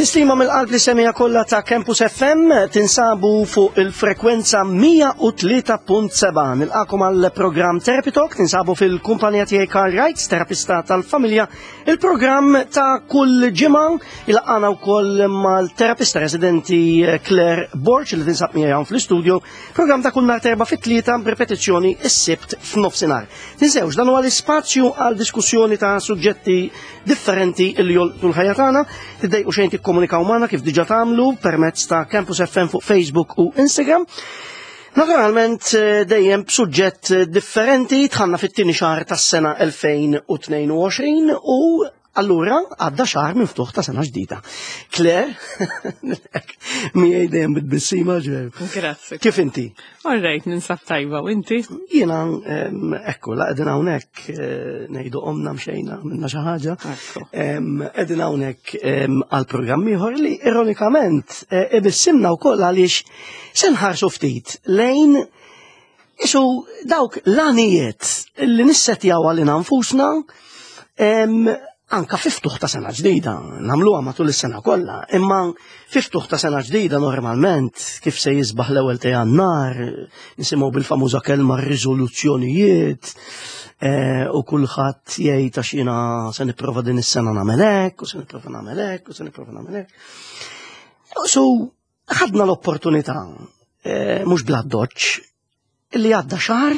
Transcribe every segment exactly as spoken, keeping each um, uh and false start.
Tislima mill-qalb lis-semmiegħa kollha ta' Campus F M, tinsabu fuq il-frekwenza mija u tlieta punt sebgħa. Nilqagħkom għal programm Therapy Talk, tinsabu fil-kumpanija tiegħi Karl Wrights, terapista tal-familja. Il-programm ta' kull ġimgħa ilaqqagħna wkoll mal-terapista residenti Claire Borch li tinsab miegħi hawn fl-istudio. Programm ta' kull nhar t'Erbgħa fit-tlieta b'ripetizzjoni is-Sibt f'nofsinhar. Tinsewx, dan huwa l-ispazju għal diskussjoni ta' suġġetti differenti li jolqtu l-ħajja tagħna. Tiddejqu xejn tikkomunikaw magħna kif diġà tagħmlu permezz ta' Campus F M fuq Facebook u Instagram. Naturalment eh, dejjem b'suġġett differenti. Dħalna fit-tieni xahar tas-sena elfejn u tnejn u għoxrin u allura għadda xahar minn ftuħ ta' sena ġdida. Claire, miegħi dejjem bit-tbissima ġew. Grazzi. Kif inti? All right, ninsab tajba, u inti? Jiena em, ekku, la qegħdin hawnhekk eh, ngħidu qomna, mxejna minna xi ħaġa. Ekku. Em, Qegħdin hawnhekk em, għal programm ieħor li ironikament eh, ibissimna wkoll għaliex se nħarsu ftit lejn isu dawk l-għanijiet li nissetjaw għalina nfusna em, anka fi ftuħ ta' sena ġdida, nagħmluha matul is-sena kollha, imma fi ftuħ ta' sena ġdida normalment kif se jisbaħ l-ewwel ta' Jannar, nisimgħu bil-famuża kelma riżoluzzjonijiet, eh, u kulħadd jgħid għax jiena se nipprova din is-sena nagħmel hekk, u se nipprova nagħmel hekk, u se nipprova nagħmel hekk. So, ħadna l-opportunità, eh, mhux bla doċ, illi għadda xahar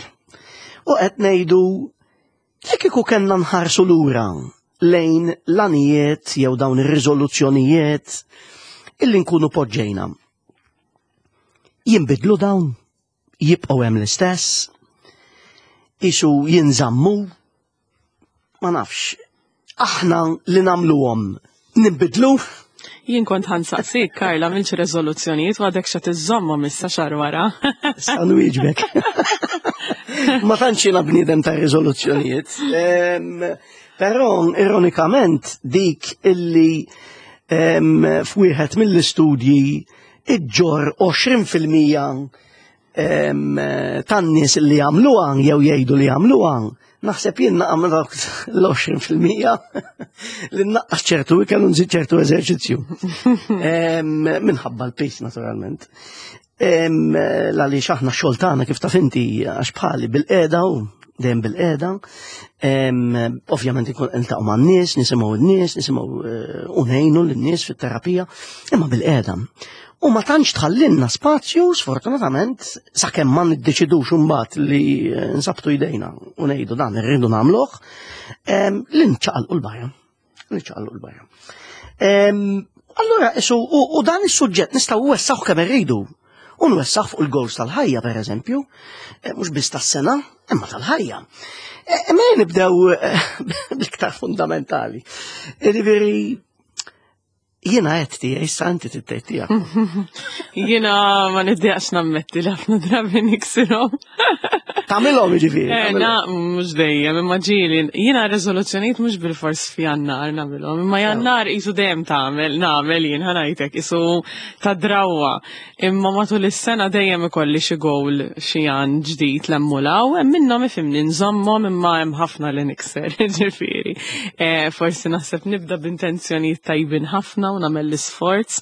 u qed ngħidu li kieku kellna nħarsu lura lejn l-għanijiet jew dawn ir-riżoluzzjonijiet illi nkunu poġġejna. Jinbidlu dawn, jibqgħu hemm l-istess, isu jinżammu, ma nafx, aħna li nagħmluhom ninbidlu. Jien kont ħa nsaqsik, Karla, għamiltx rezoluzzjonijiet u għadek xa tiżommhom issa xahar wara? Sa nwieġbek. Ma tantx jiena bniedem ta' riżoluzzjonijiet. Em, Però ironikament dik illi em, f'wieħed mill-istudji iġġor għoxrin fil-mija em, tan-nies li jagħmluha jew jgħidu li jagħmluha, naħseb jien naqa' dawk l-għoxrin fil-mija li nnaqqas ċertu ikel u nżid ċertu eżerċizzju. Em, Minħabba l-pace naturalment. Em, Għaliex aħna xogħol tagħna, kif taf inti, għax bħali bilqiegħda u dejjem bilqiegħda. Em, Ovvjament ikun niltaqgħu man-nies, nisimgħu n-nies, nisimgħu eh, u ngħinu lin-nies fit-terapija, imma bilqiegħda. U ma tantx tħallinna spazju, sfortunatament, sakemm ma niddeċidux imbagħad li eh, nsabtu jdejna u ngħidu dan irridu nagħmluh, em, li nċaqalqu 'l barra. Nċaqalqu 'l barra. Em, Allura, isu, u, u dan is-suġġett nistgħu nwessgħuh kemm irridu. U nwessgħuh fuq il-goals tal-ħajja, per eżempju, eh, mhux biss tas-sena, imma tal-ħajja. Eh, Imma nibdew eh, bl-iktar fundamentali. Jiġifieri, jiena għedt tiegħi, issa inti tgħid tiegħek. Jiena ma niddejjaqx nammetti li ħafna drabi niksirhom. Tagħmilhom jiġifieri. Eh, tagħmilhom. Na, mhux dejjem, imma ġieli. Jiena rezoluzzjonijiet mhux bil-fors f'Jannar nagħmilhom, imma Jannar isu dejjem tagħmel, nagħmel jien ħa ngħidlek, isu ta' drawa. Imma matul is-sena dejjem ikolli xi goal, xi għan ġdid lemmulaw, hemm minnhom ifhimni nżommhom imma hemm ħafna li nikser, ġifieri. Eh, Forsi naħseb nibda b'intenzjonijiet tajbin ħafna u nagħmel l-isforz,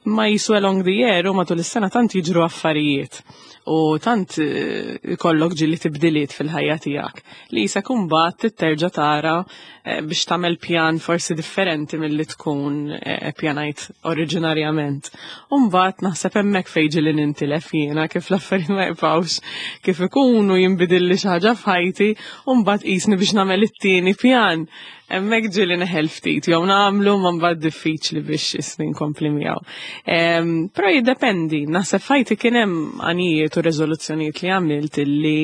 imma jisu along the year u matul is-sena tant jiġru affarijiet u tant eh, ikollok ġieli tibdiliet fil-ħajja tiegħek li jisa kumbat terġa' tara eh, biex tagħmel pjan forsi differenti milli tkun eh, pjanajt oriġinarjament. U mbagħad naħseb hemmhekk fejn ġieli nintilef jiena, kif l-affarijiet ma jibqgħux kif ikunu, jinbidilli xi ħaġa f'ħajti u mbagħad qisni biex nagħmel it-tieni pjan. Hemmhekk ġieli neħel ftit, jew nagħmlu ma mbagħad diffiċli biex isni nkompli miegħu. Em, Però jiddependi, naħseb f'ħajti kien hemm għanijiet u rezoluzzjonijiet li għamilt illi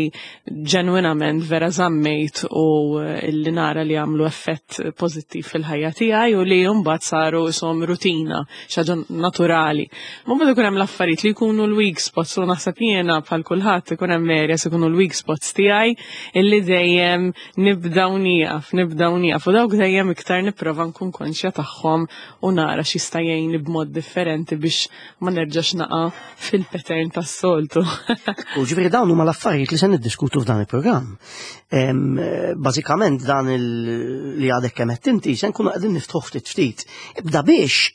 ġenwinament vera żammejt u illi nara li għamlu effett pożittiv fil-ħajja tiegħi u li mbagħad saru isom rutina, xi ħaġa naturali. Ma mbagħad ikun hemm l-affarijiet li jkunu l-weak spots u naħseb jiena bħal kulħadd ikun hemm areas ikunu l-weak spots tiegħi illi dejjem nibda u nieqaf, nibda u nieqaf, u dawk dejjem iktar nipprova nkun konxja tagħhom u nara x'jista' jgħinni b'mod differenti biex ma nerġax naqa' fil-pattern tas-soltu. U ġifieri dawn huma l-affarijiet li se niddiskutu f'dan il-programm. Em, eh, Bażikament dan il- li għadek kemm qed inti se nkunu qegħdin niftħu ftit ftit. Ibda biex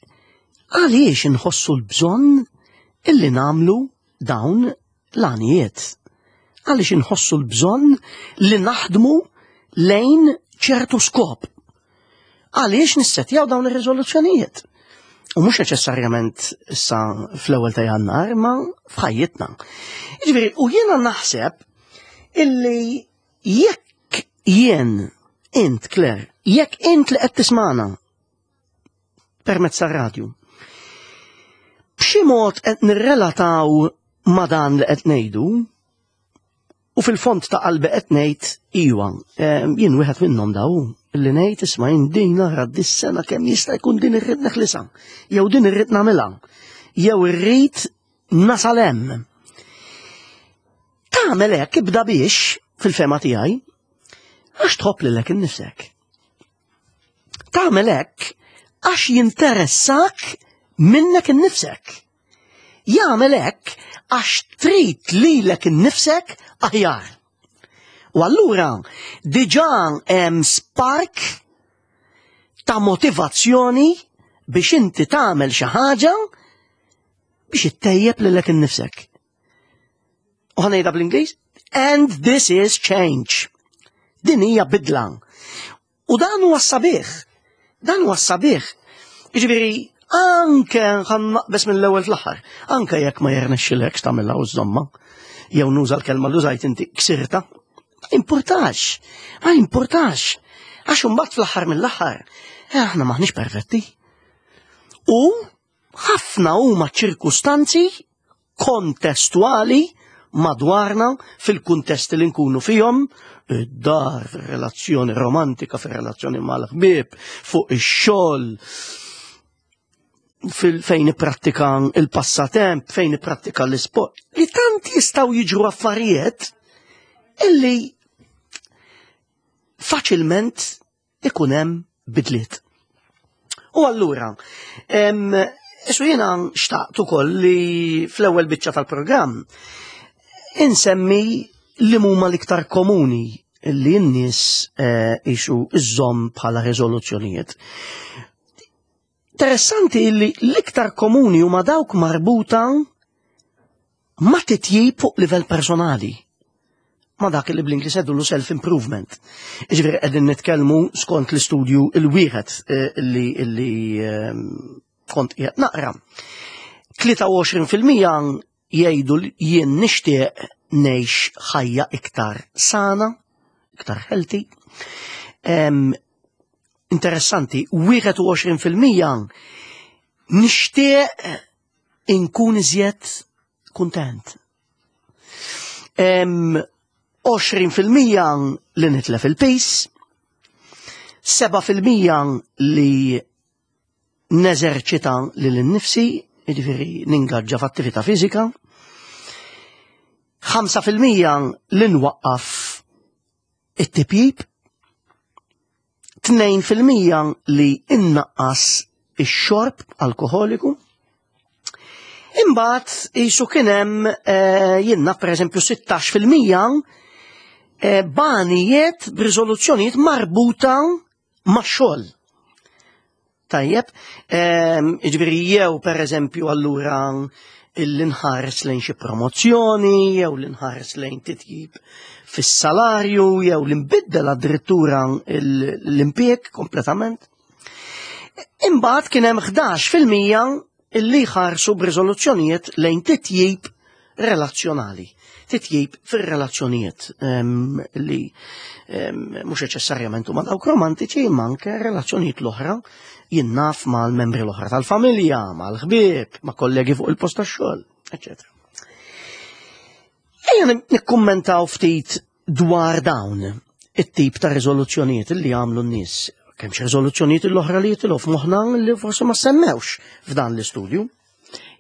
Għaliex inħossu l-bżonn illi nagħmlu dawn l-għanijiet? Għaliex inħossu l-bżonn li naħdmu lejn ċertu skop? Għaliex nissetjaw dawn ir-riżoluzzjonijiet? U mhux neċessarjament issa fl-ewwel ta' Jannar, ma f'ħajjitna. Jiġifieri, u jiena naħseb illi jekk jien, int Claire, jekk int li qed tismana permezz tar-radju, b'xi mod qed nirrelataw ma' dan li qed ngħidu, u fil-fond ta' qalbi qed ngħid iwa, jien wieħed minnhom daw li ngħid isma' jien din nara dis-sena kemm jista' jkun din irrid neħlisha, jew din irrid nagħmilha, jew irrid nasal hemm. Tagħmel hekk ibda biex fil-fehma tiegħi għax tħobb lilek innifsek. Tagħmel hekk għax jinteressak minnek innifsek. Jagħmel hekk għax trid lilek innifsek aħjar. U allura diġà hemm spark ta' motivazzjoni biex inti tagħmel xi ħaġa biex ittejjeb lilek innifsek. U ħa ngħidha bl-Ingliż, and this is change. Din hija bidla. U dan huwa sabiħ. Dan huwa sabiħ. Jiġifieri anke ħa naqbeż mill-ewwel fl-aħħar, anke jekk ma jirnexxilekx tagħmilha u żomma, jew nuża l-kelma li użajt inti ksirta, ma importax, ma importax. Għax imbagħad fl-aħħar mill-aħħar, eh, aħna maħniex perfetti. U ħafna huma ċirkustanzi kontestwali madwarna fil-kuntesti li nkunu fihom, id-dar, fir-relazzjoni romantika, fir-relazzjoni mal-ħbieb, fuq ix-xogħol, fejn ipprattika il-passatemp, fejn ipprattika l-isport, li tant jistgħu jiġru affarijiet illi faċilment ikun hemm bidliet. U allura, isu jiena xtaqt ukoll li fl-ewwel biċċa tal-programm insemmi li huma l-iktar komuni li n-nies ixu iżżomm bħala riżoluzzjonijiet. Interessanti li l-iktar komuni huma dawk marbuta ma' titjib fuq livell personali. Ma dak li bl-Ingliż jgħidulu self-improvement. Jiġifieri qegħdin nitkellmu skont l-istudju il-wieħed li li kont qiegħed naqra. tlieta u għoxrin fil-mija jgħidu li jien nixtieq ngħix ħajja iktar sana, iktar healthy. Em, interessanti, wieħed u għoxrin fil-mija nixtieq inkun iżjed kuntent. Em, għoxrin fil-mija li nitlef il-piż, seba' fil-mija li neżerċita lili nnifsi, jiġifieri ningaġġa f'attività fiżika, ħamsa fil-mija li nwaqqaf it-tipjib, tnejn fil-mija li innaqqas ix-xorb alkoholiku. Imbagħad isu kien hemm eh, jiena pereżempju sittax fil-mija eh, b'għanijiet b'riżoluzzjonijiet marbuta max-xogħol. Tajjeb, ehm, jiġifieri jew pereżempju allura l-inħares lejn xi promozzjoni, jew l-inħares lejn titjib fis-salarju, jew l-inbiddel addirittura l-impjeg kompletament. Imbagħad kien hemm ħdax fil-mija illi ħarsu b'riżoluzzjonijiet lejn titjib relazzjonali. Titjib fir-relazzjonijiet em, li em, mhux neċessarjament huma dawk romantiċi, imma anke relazzjonijiet l-oħra jien naf mal-membri l-oħra tal-familja, mal-ħbieb, ma' kollegi fuq il-post tax-xogħol, eċċetera. Ejja nikkummentaw ftit dwar dawn it-tip ta' riżoluzzjonijiet li għamlu n-nies. Kemm xi riżoluzzjonijiet l-oħra li jitilgħu f'moħħna li forsi ma semmewx f'dan l-istudju.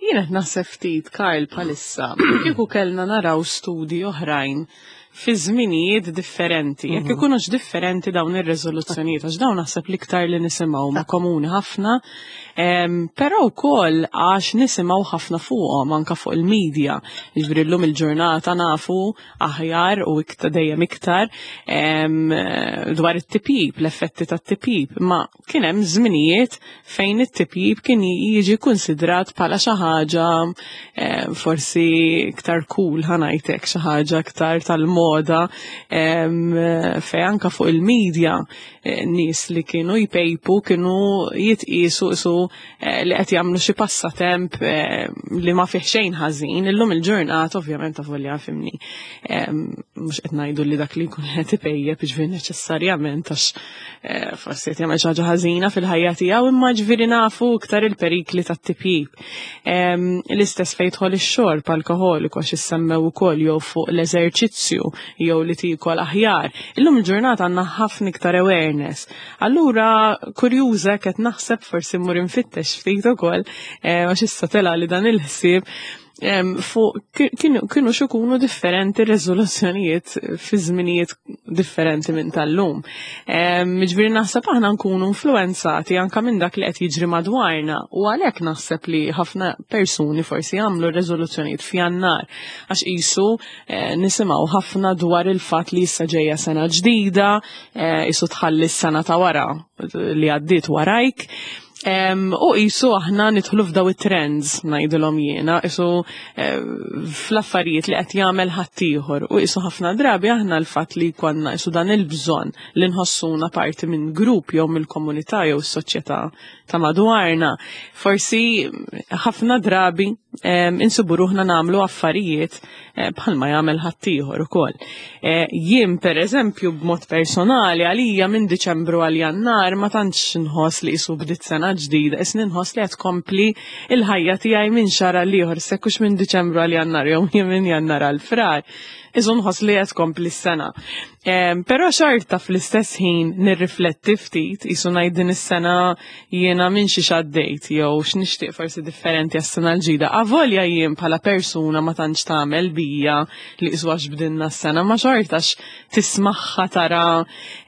Jien qed naħseb ftit, Karl, bħalissa, kieku kellna naraw studi oħrajn fi żminijiet differenti, jekk ikunux differenti dawn ir-reżoluzzjonijiet, għax dawn naħseb l-iktar li nisimgħu ma komuni ħafna, em, però wkoll għax nisimgħu ħafna fuqhom anka fuq il-medja. Jiġifieri llum il-ġurnata nafu aħjar u iktar dejjem iktar em, dwar it-tipjip, l-effetti tat-tipjip, ma kien hemm żminijiet fejn it-tipjip kien jiġi konsidrat bħala xi ħaġa eh, forsi iktar cool, ħa ngħidlek, xi ħaġa iktar tal-moda, em, fej anka fuq il-medja eh, nies li kienu jpejpu kienu jitqisu isu eh, li qed jagħmlu xi passatemp eh, li ma fih xejn ħażin. Illum il-ġurnata ovvjament avolja fhimni, em, mhux qed ngħidu li dak li jkun qed ipejjep jiġifieri neċessarjament għax eh, forsi qed jagħmel xi ħaġa ħażina fil-ħajja tiegħu, imma ġifieri nafu iktar il-perikli tat-tipjip. Em, L-istess fejn jidħol ix-xorb alkoholiku għax issemmew ukoll, jew fuq l-eżerċizzju jew li tikol aħjar. Illum il-ġurnata għandna ħafna iktar awareness. Allura kurjuża qed naħseb forsi mmur infittex ftit ukoll eh, għax issa tela li dan il-ħsieb em, fuq ki- kienu kienu x'ikunu differenti riżoluzzjonijiet fi żminijiet differenti minn tal-lum. Em, Ġifieri naħseb aħna nkunu influenzati anka minn dak li qed jiġri madwarna u għalhekk naħseb li ħafna persuni forsi jagħmlu riżoluzzjonijiet f'Jannar għax qisu eh, nisimgħu ħafna dwar il-fatt li issa ġejja sena ġdida, eh, qisu tħalli s-sena ta' wara li għaddiet warajk. Em, u qisu aħna nidħlu f'daw it-trends, ngħidilhom jiena, qisu eh, fl-affarijiet li qed jagħmel ħaddieħor u qisu ħafna drabi aħna l-fatt li konna qisu dan il-bżonn li nħossuna parti minn grupp jew mill-komunità jew s-soċjetà ta' madwarna. Forsi ħafna drabi em, insibu ruħna nagħmlu affarijiet eh, bħalma jagħmel ħaddieħor ukoll. Eh, Jien per eżempju b'mod personali, għalija minn Diċembru għal Jannar ma tantx nħoss li qisu bdiet sena ġdida, is nħoss li qed tkompli il-ħajja tiegħi minn xahar għal ieħor, sekkux minn Diċembru għal Jannar jew minn Jannar għal Frar. Isu nħoss li qed tkompli s-sena. Em, Però xorta fl-istess ħin nirrifletti ftit, qisu ngħid din is-sena jiena minn xi għaddejt jew x'nixtieq forsi differenti għas-sena l-ġdida. Avolja jien bħala persuna ma tantx tagħmel bija li qisu għax bdinna s-sena, ma xortax tismagħha, tara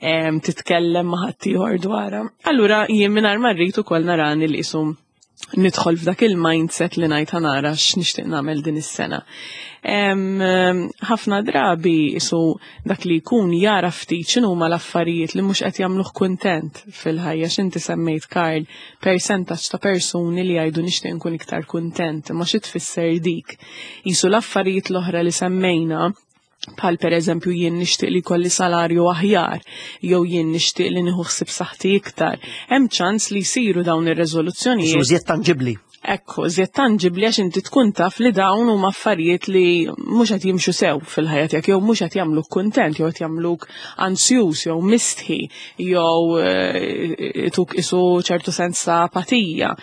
em, titkellem ma' ħaddieħor dwarha. Allura jien mingħajr ma rrid ukoll narani li qisu nidħol f'dak il-mindset li ngħid ħa nara x'nixtieq nagħmel din is-sena. Em, em, Ħafna drabi qisu dak li jkun jara ftit x'inhuma l-affarijiet li mhux qed jagħmluh kuntent fil-ħajja. X'inti semmejt, Karl, percentaġġ ta' persuni li jgħidu nixtieq nkun iktar kuntent, ma xi tfisser dik? Qisu l-affarijiet l-oħra li semmejna, bħal per eżempju jien nixtieq li jkolli salarju aħjar, jew jien nixtieq li nieħu ħsieb saħħti iktar. Hemm ċans li jsiru dawn ir-reżoluzzjonijiet. Iżjed tanġibli. Ekku, iżjed tanġibli għax inti tkun taf li dawn huma affarijiet li mhux qed jimxu sew fil-ħajja tiegħek jew mhux qed jagħmluk kuntent jew qed jagħmluk ansjuż jew mistħi jew eh, tuk isu ċertu sens ta' apatija.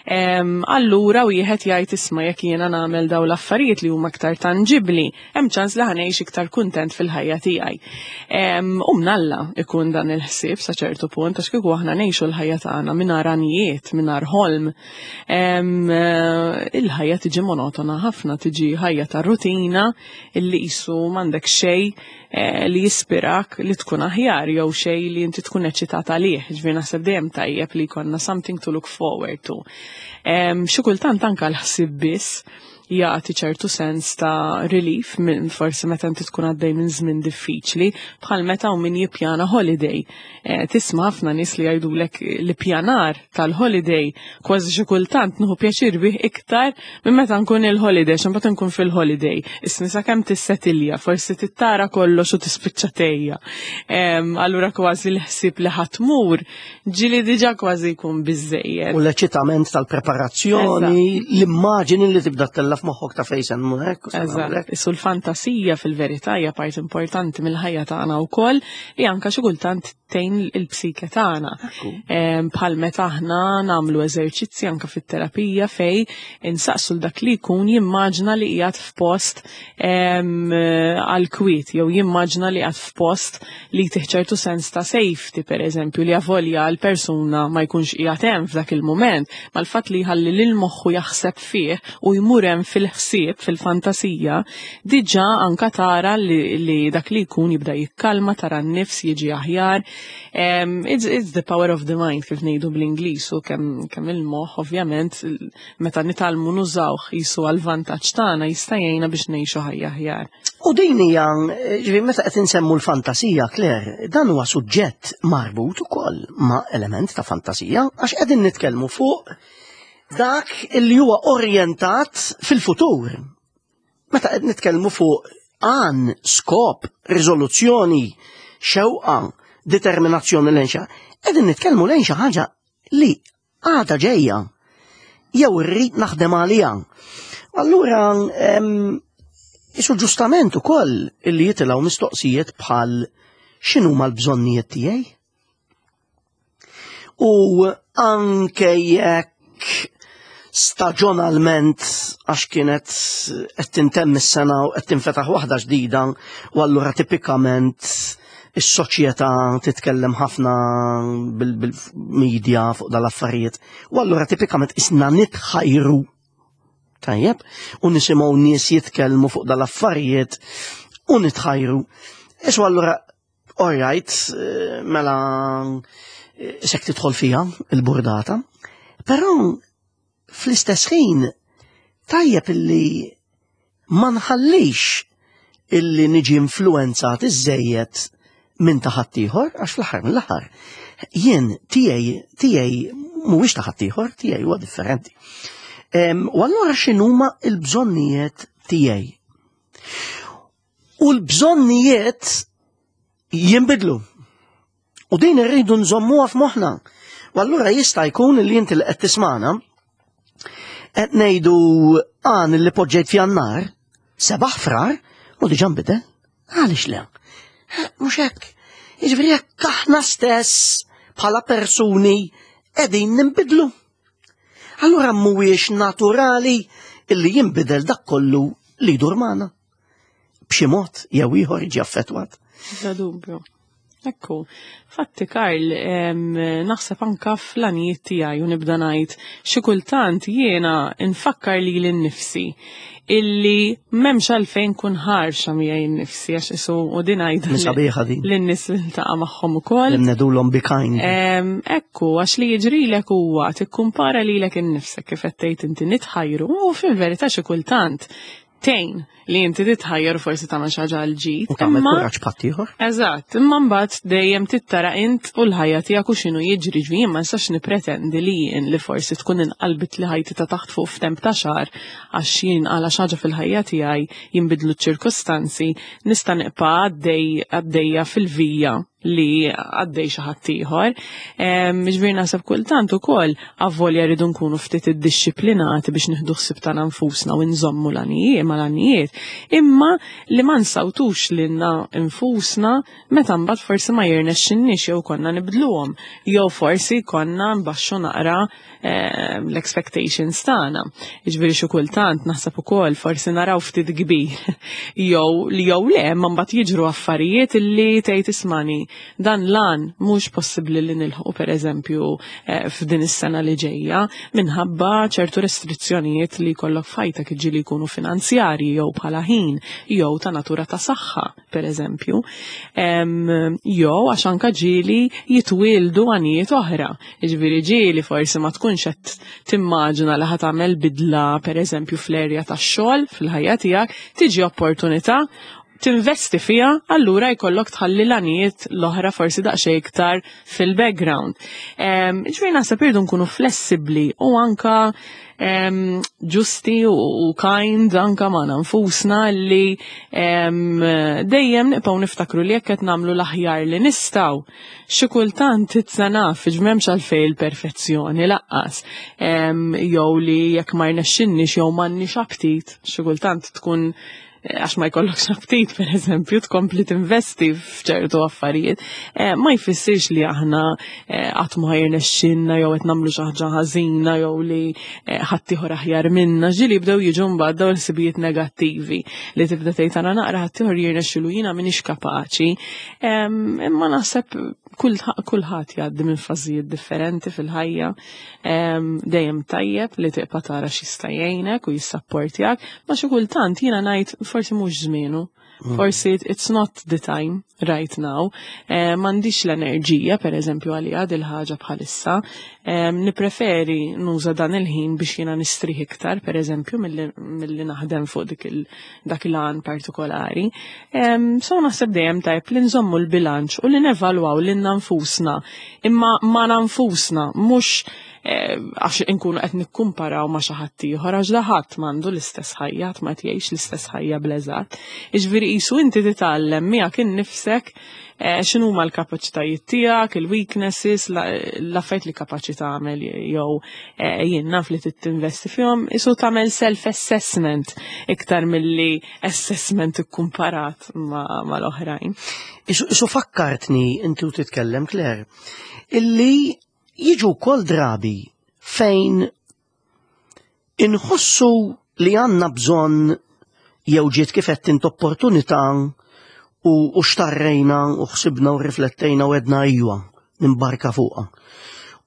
Em, Allura wieħed jgħid, isma', jekk jiena nagħmel dawn l-affarijiet li huma aktar tanġibli, hemm ċans li ħa ngħix iktar kuntent fil-ħajja tiegħi. Em, U mnalla ikun dan il-ħsieb sa ċertu punt, għax kieku aħna ngħixu l-ħajja tagħna mingħajr għanijiet, mingħajr ħolm, em, eh, il-ħajja tiġi monotona ħafna, tiġi ħajja ta' rutina illi qisu m'għandek xejn eh, li jispirak li tkun aħjar jew xejn li inti tkun eċċitat għalih. Ġifieri naħseb dejjem tajjeb li jkollna something to look forward to. Em, Xi kultant anka l-ħsieb biss jagħti ċertu sens ta' relief minn forsi meta inti tkun għaddej minn żmien diffiċli, bħal meta u min jippjana holiday. Eh, tisma' ħafna nies li jgħidulek li pjanar tal-holiday kważi xi kultant nieħu pjaċir bih iktar minn meta nkun il-holiday, x'imbagħad nkun fil-holiday. Isni sakemm tissetilja, forsi tittara kollox u tispiċċa tejja. Em, Allura kważi l-ħsieb li ħa tmur ġieli diġà kważi jkun biżejjed. U l-eċitament tal-preparazzjoni, l-immaġini li tibda ttella' f'moħħok ta' fejn se mmur hekk u se nagħmel Eżatt, hekk. Issu l-fantasija fil-verità hija part importanti mill-ħajja tagħna wkoll li anka xi kultant tgħin il-psike tagħna. Bħal meta aħna nagħmlu eżerċizzi anke fit-terapija fej insaqsu dak li jkun jimmaġna li qiegħed f'post għal kwiet jew jimmaġna li qiegħed f'post li jtih ċertu sens ta' safety, pereżempju, li avolja l-persuna ma jkunx qiegħed hemm f'dak il-mument, ma l-fatt li jħalli lil moħħu jaħseb fih u jmur hemm fil-ħsieb, fil-fantasija, diġà anka tara li, li dak li jkun jibda jikkalma, tara n-nifs jiġi aħjar. Um, it's, it's the power of the mind, kif ngħidu bl-Ingliż, u kemm kemm il-moħħ ovvjament meta nitgħallmu nużawh jisu għal vantaġġ tagħna jista' jgħinna biex ngħixu ħajja aħjar. U din hija, ġifieri, meta qed insemmu l-fantasija, Claire, dan huwa suġġett marbut ukoll ma' element ta' fantasija, għax qegħdin nitkellmu fuq dak illi huwa orjentat fil-futur. Meta qed nitkellmu fuq għan, skop, riżoluzzjoni, xewqa, determinazzjoni lejn xi, qegħdin nitkellmu lejn xi ħaġa li għadha ġejja jew irrid naħdem għaliha. Allura, isu ġustament ukoll illi jitilgħu mistoqsijiet bħal x'inhuma l-bżonnijiet tiegħi? U anke jekk staġonalment, għax kienet qed tintemm is-sena u qed tinfetaħ waħda ġdida, u allura tipikament is-soċjetà titkellem ħafna bil-media fuq dal-affarijiet. U allura tipikament isna nitħajru, tajjeb, u nisimgħu nies jitkellmu fuq dal-affarijiet u nitħajru. Isu allura, all right, mela sek tidħol fija il-burdata, però fl-istess ħin tajjeb illi ma nħallix illi niġi influenzat iżejjed minn ta' ħaddieħor, għax fl-aħħar mill-aħħar jien tiegħi tiegħi mhuwiex ta' ħaddieħor, tiegħi huwa differenti. U allura x'inhuma l-bżonnijiet tiegħi? U l-bżonnijiet jinbidlu. U din irridu nżommuha f'moħħna. U allura jista' jkun li inti li qed tismana qed ngħidu għan li poġġejt f'Jannar, sebaħ Frar, u diġà nbidel. Għaliex le? Mhux hekk. Jiġifieri jekk aħna stess bħala persuni qegħdin ninbidlu. Allura mhuwiex naturali illi jinbidel dak kollu li jdur magħna. B'xi mod jew ieħor jiġi affettwat. Bla dubju. Ekku, fatti, Karl, naħseb anka fl-għanijiet tiegħi u nibda ngħid xi kultant jiena nfakkar lili nnifsi illi m'hemmx għalfejn kun ħarxa miegħi nnifsi, għax isu u din għidha Sabiħa din. lin-nies li niltaqa' magħhom ukoll. Ngħidulhom be kind. Ekku, għax li jiġrilek huwa tikkumpara lilek innifsek, kif qed tgħid inti, nitħajru u fil-verità xi kultant tgħin li inti titħajjar u forsi tagħmel xi ħaġa għal ġid. U tagħmel imma- kuraġġ b'ħaddieħor. Eżatt, imma mbagħad dejjem tittara int u l-ħajja tiegħek u x'inhu jiġri. Ġifieri ma nistax nipretendi li jien li forsi tkun inqalbit li ħajti ta' taħt fuq f'temp ta' xahar għax jien għala xi ħaġa fil-ħajja tiegħi jinbidlu ċ-ċirkustanzi, nista' nibqa' għaddej għaddejja fil-vija li għaddej xi ħadd ieħor. Ġifieri naħseb kultant ukoll avvolja rridu nkunu ftit iddixxiplinati biex nieħdu ħsieb tagħna nfusna u nżommu l-għanijiet mal-għanijiet, imma li ma nsawtux lilna nfusna meta mbagħad forsi ma jirnexxinniex jew konna nibdluhom jew forsi konna nbaxxu naqra em, l-expectations tagħna. Jiġifieri xi kultant naħseb ukoll forsi naraw ftit kbir jew li jew le, ma mbagħad jiġru affarijiet illi tgħid, "Ismani, dan l-għan mhux possibbli li nilħqu, pereżempju, eh, f'din is-sena li ġejja minħabba ċertu restrizzjonijiet li jkollok f'ħajtek, ġieli jkunu finanzjarji jew bħala ħin jew ta' natura ta' saħħa, pereżempju. Em, Jew għax anka ġieli jitwieldu għanijiet oħra. Jiġifieri ġieli forsi ma tkunx qed timmaġina li ħa tagħmel bidla, pereżempju, fl-erja tax-xogħol fil-ħajja tiegħek, tiġi opportunità tinvesti fija, allura jkollok tħalli l-għanijiet l-oħra forsi daqsxejn iktar fil-background. Ġifieri naħseb irridu nkunu flessibli u anka em, ġusti u, u kind anka ma' nfusna li em, dejjem nibqgħu niftakru li jekk qed nagħmlu l-aħjar li nistgħu, xi kultant titsanaf m'hemmx għalfejn il-perfezzjoni lanqas. Em, jew li jekk ma rnexxinniex jew m'għandniex aptit, xi kultant tkun għax ma jkollokx aptit, per eżempju, tkompli tinvesti f'ċertu affarijiet, eh, ma jfissirx li aħna eh, qatt ma jirnexxinna jew qed nagħmlu xi ħaġa ħażina jew li eh, ħaddieħor aħjar minna. Ġieli bdew jiġu mbagħad dawn il-ħsibijiet negattivi li tibda tgħid, "Ara naqra, ħaddieħor jirnexxilu, jiena m'iniex kapaċi." Imma naħseb kulħadd jgħaddi minn fażijiet differenti fil-ħajja. Dejjem tajjeb li tibqa' tara x'jista' jgħinek u jissapportjak, ma xi kultant jiena ngħid forsi mhux żmienu. Mm. Forsi it's not the time right now. Eh, M'għandix l-enerġija, per eżempju, għalija dil-ħaġa bħalissa. Eh, Nipreferi nuża dan il-ħin biex jiena nistrieħ iktar, per eżempju, milli naħdem fuq dik dak il-għan partikolari. Eh, so naħseb dejjem tajb li nżommu l-bilanċ u li nevalwaw lil nfusna. Imma ma nfusna, mhux eh, għax inkunu qed nikkumparaw ma' xi ħadd ieħor, għax da ħadd m'għandu l-istess ħajja, ħadd ma jgħix l-istess ħajja bl-eżatt. Jiġifieri qisu inti titgħallem miegħek innifsek eh, x'inhuma l-kapaċitajiet tiegħek, il-weaknesses, l-affarijiet li kapaċi tagħmel jew eh, jien naf li tinvesti fihom, qisu tagħmel self-assessment iktar milli assessment ikkumparat mal-oħrajn. Isu fakkartni inti u titkellem, Claire, illi jiġu kol drabi fejn inħossu li għandna bżonn jew ġiet kif qed int opportunità u, u xtarrejna u ħsibna u riflettejna u għedna ijwa, nimbarka fuqha.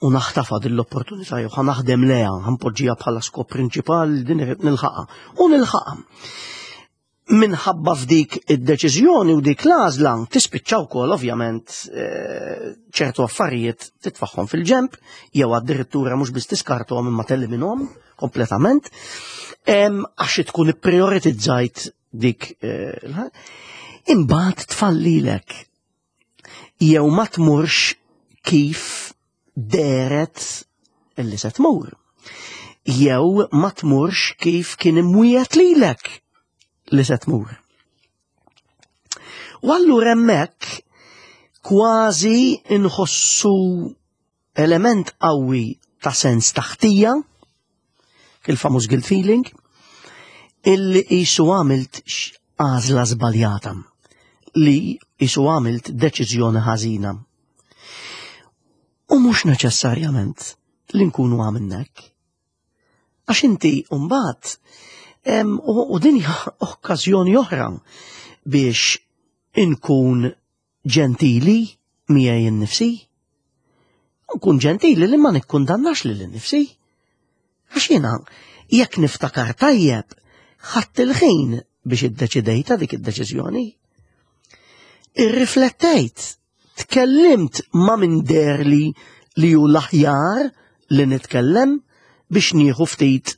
U naħtafa din l-opportunità jew naħdem lejha, ħa npoġġiha bħala skop prinċipali, din irrid nilħaqha. U nilħaqha. Minħabba f'dik id-deċiżjoni u dik l-għażla tispiċċa wkoll ovvjament eh, ċertu affarijiet titfaħħom fil-ġemp jew addirittura mhux biss tiskarthom imma telliminhom kompletament għax tkun ipprioritizzajt dik eh, imbagħad tfallilek jew ma tmurx kif dehret illi se tmur. Jew ma tmurx kif kien imwiegħed lilek li se tmur. U allura hemmhekk kważi inħossu element qawwi ta' sens ta' ħtija, il-famuż guilt feeling, illi qisu għamilt għażla żbaljata, li qisu għamilt deċiżjoni ħażina. U mhux neċessarjament li nkunu għamilna hekk. Għax inti mbagħad u din hija okkażjoni oħra biex inkun ġentili miegħi innifsi. Nkun ġentili li ma nikkundannax lil innifsi. Għax jiena jekk niftakar tajjeb, ħadt il-ħin biex iddeċidejta dik id-deċiżjoni. Irriflettejt, tkellimt ma' min deherli li hu l-aħjar li nitkellem biex nieħu ftit,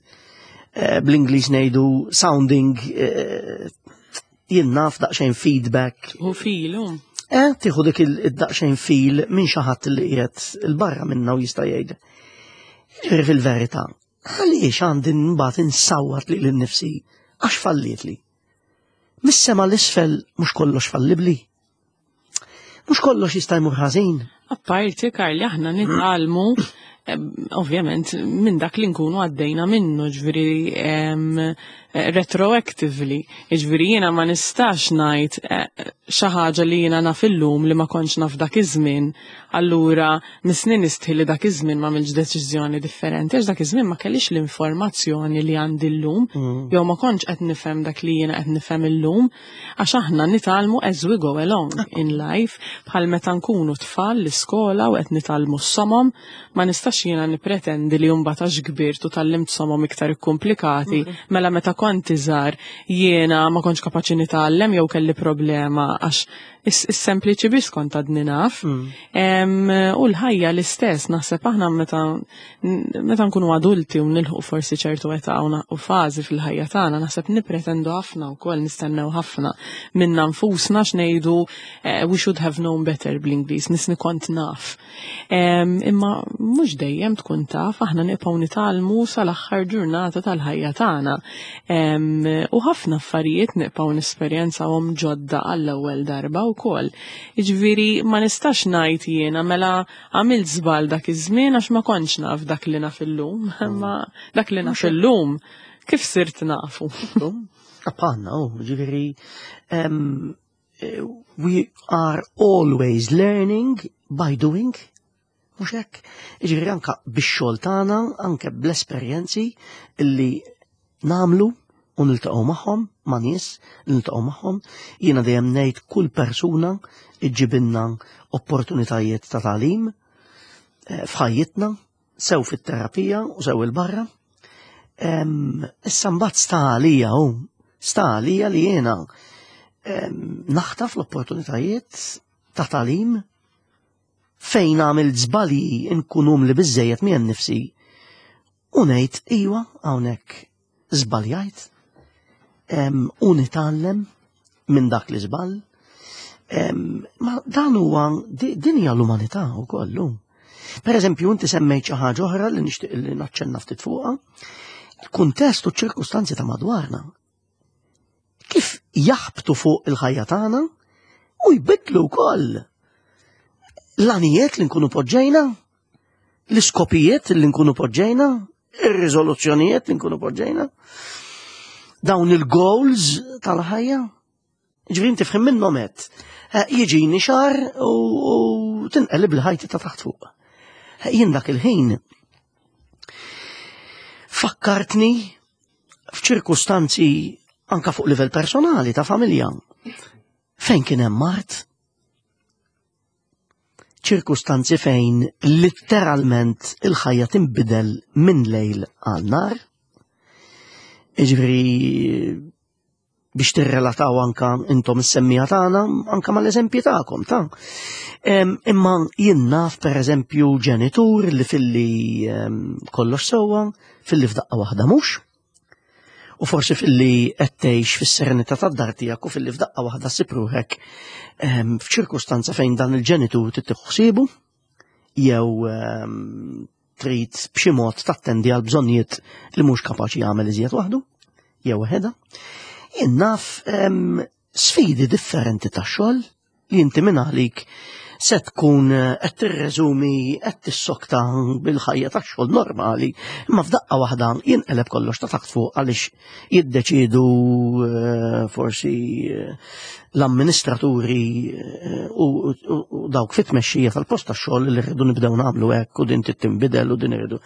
eh, bl-Ingliż ngħidu sounding, eh, jien naf, daqsxejn feedback. U filu. Eh, tieħu dik il-daqsxejn feel minn xi ħadd li qiegħed il-barra minna u jista' jgħid. Ġifieri fil-verità, għaliex għandi mbagħad insawwat lil nifsi għax falliet li? Mis-sema 'l isfel mhux kollox fallibli. Mhux kollox jista' jmur ħażin. Apparti, Karli, aħna nitgħallmu ovvjament minn dak li nkunu għaddejna minnu, ġifieri retroactively. Ġifieri jiena ma nistax ngħid eh, xi ħaġa li jiena naf illum li ma kontx naf dak iż-żmien, allura missni nistħi li dak iż-żmien ma għamiltx deċiżjoni differenti, għax dak iż-żmien ma kellix l-informazzjoni li għandi llum, mm. jew ma kontx qed nifhem dak li jiena qed nifhem illum, għax aħna nitgħallmu as we go along in life, bħal meta nkunu tfal l-iskola u qed nitgħallmu s-somom, ma nistax jiena nipretendi li mbagħad għax kbirt u tgħallimt somom iktar ikkumplikati, mela meta kont iżgħar jiena ma kontx kapaċi nitgħallem jew kelli problema għax is-sempliċi biss kont għadni naf. Mm. U l-ħajja l-istess, naħseb aħna meta meta nkunu adulti u nilħu forsi ċertu età u fażi fil-ħajja tagħna, naħseb nipretendu ħafna wkoll, nistennew ħafna minna nfusna x'ngħidu eh, "we should have known better" bl-Ingliż, missni kont naf. Imma mhux dejjem tkun taf, aħna nibqgħu nitgħallmu sal-aħħar ġurnata tal-ħajja tagħna. U ħafna affarijiet nibqgħu nesperjenzawhom ġodda għall-ewwel darba wkoll. Jiġifieri ma nistax ngħid jiena mela għamilt żball dak iż-żmien għax ma kontx naf dak li naf illum, ma dak li naf illum kif sirt nafu? Ħafna bħalna, oh, ġifieri, um, we are always learning by doing. Mhux hekk? Ġifieri anka bix-xogħol tagħna, anke bl-esperjenzi illi nagħmlu u niltaqgħu magħhom, ma' nies niltaqgħu magħhom. Jiena dejjem ngħid kull persuna iġġibilna opportunitajiet ta' tagħlim eh, f'ħajjitna, sew fit-terapija u sew il-barra. Issa mbagħad sta għalija hu, sta għalija li jiena naħtaf l-opportunitajiet ta' tagħlim fejn għamil żbalji, nkun umli biżejjed miegħi nnifsi u ngħid: "Iwa, hawnhekk żbaljajt", u nitgħallem minn dak li żball. Ma dan huwa, din hija l-umanità wkoll. Per eżempju, inti semmejt xi ħaġa oħra li nixtieq li naċċenna ftit fuqha: il-kuntest u ċ-ċirkustanzi ta' madwarna. Kif jaħbtu fuq il-ħajja tagħna u jbidlu wkoll l-għanijiet li nkunu poġġejna, l-iskopijiet li nkunu poġġejna, ir-riżoluzzjonijiet li nkunu poġġejna, dawn il-goals tal-ħajja. Ġifieri inti f'ħin minnhom qed eh, jiġini xahar u tinqelib l-ħajti ta' taħt fuq. Eh, jien dak il-ħin fakkartni f'ċirkustanzi anka fuq livell personali ta' familja. Fejn kien hemm mard, ċirkustanzi fejn literalment il-ħajja tinbidel minn lejl għal nhar. Iġifieri biex tirrelataw anka intom is-semmiegħa tagħna anka mal-eżempji tagħkom ta'. Imma jien naf, per eżempju, ġenitur li filli kollox sewwa, filli f'daqqa waħda mhux. U forsi filli qed tgħix fis-serenità tad-dar tiegħek u filli f'daqqa waħda ssib ruħek f'ċirkustanza fejn dan il-ġenitur trid ħsibu jew trid b'xi mod tattendi għal bżonnijiet li mhux kapaċi jagħmel iżjed waħdu jew waħedha. Jien naf sfidi differenti ta' xogħol li inti minn għalik se tkun qed tirreżumi qed tissokta bil-ħajja tax xogħol normali, imma f'daqqa waħda jinqeleb kollox ta' taħt fuq għaliex jiddeċidu eh, forsi eh, l-amministraturi eh, u dawk fit-tmexxija tal-post tax-xogħol li rridu nibdew nagħmlu hekk u din tinbidel u din irridu.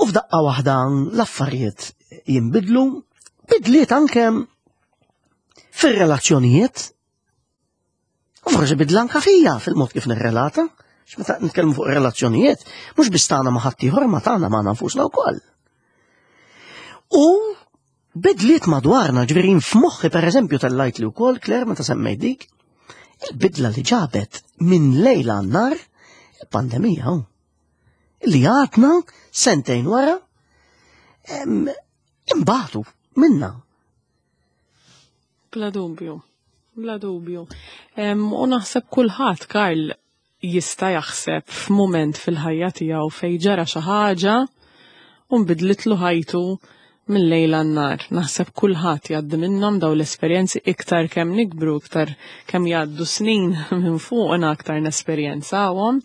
U f'daqqa waħda l-affarijiet jinbidlu, bidliet anke fir-relazzjonijiet. U forsi bidla anka fija fil-mod kif nirrelata. X'meta nitkellmu fuq relazzjonijiet, mhux biss tagħna ma' ħaddieħor, ma tagħna ma' nfusna wkoll. U bidliet madwarna, ġifieri f'moħħi, per eżempju, tellajt li wkoll, Claire, meta semmejt dik, il-bidla li ġabet minn lejla nhar il-pandemija. Li għadna sentejn wara imbatu minna. Bla dubju. Bla dubju. U naħseb kulħadd, Karl, jista' jaħseb f'mument fil-ħajja tiegħu fejn ġara xi ħaġa u nbidlitlu ħajtu minn lejla nhar. Naħseb kulħadd jgħaddi minnhom daw l-esperjenzi. Iktar kemm nikbru, iktar kemm jgħaddu snin minn fuqna, aktar nesperjenzawhom.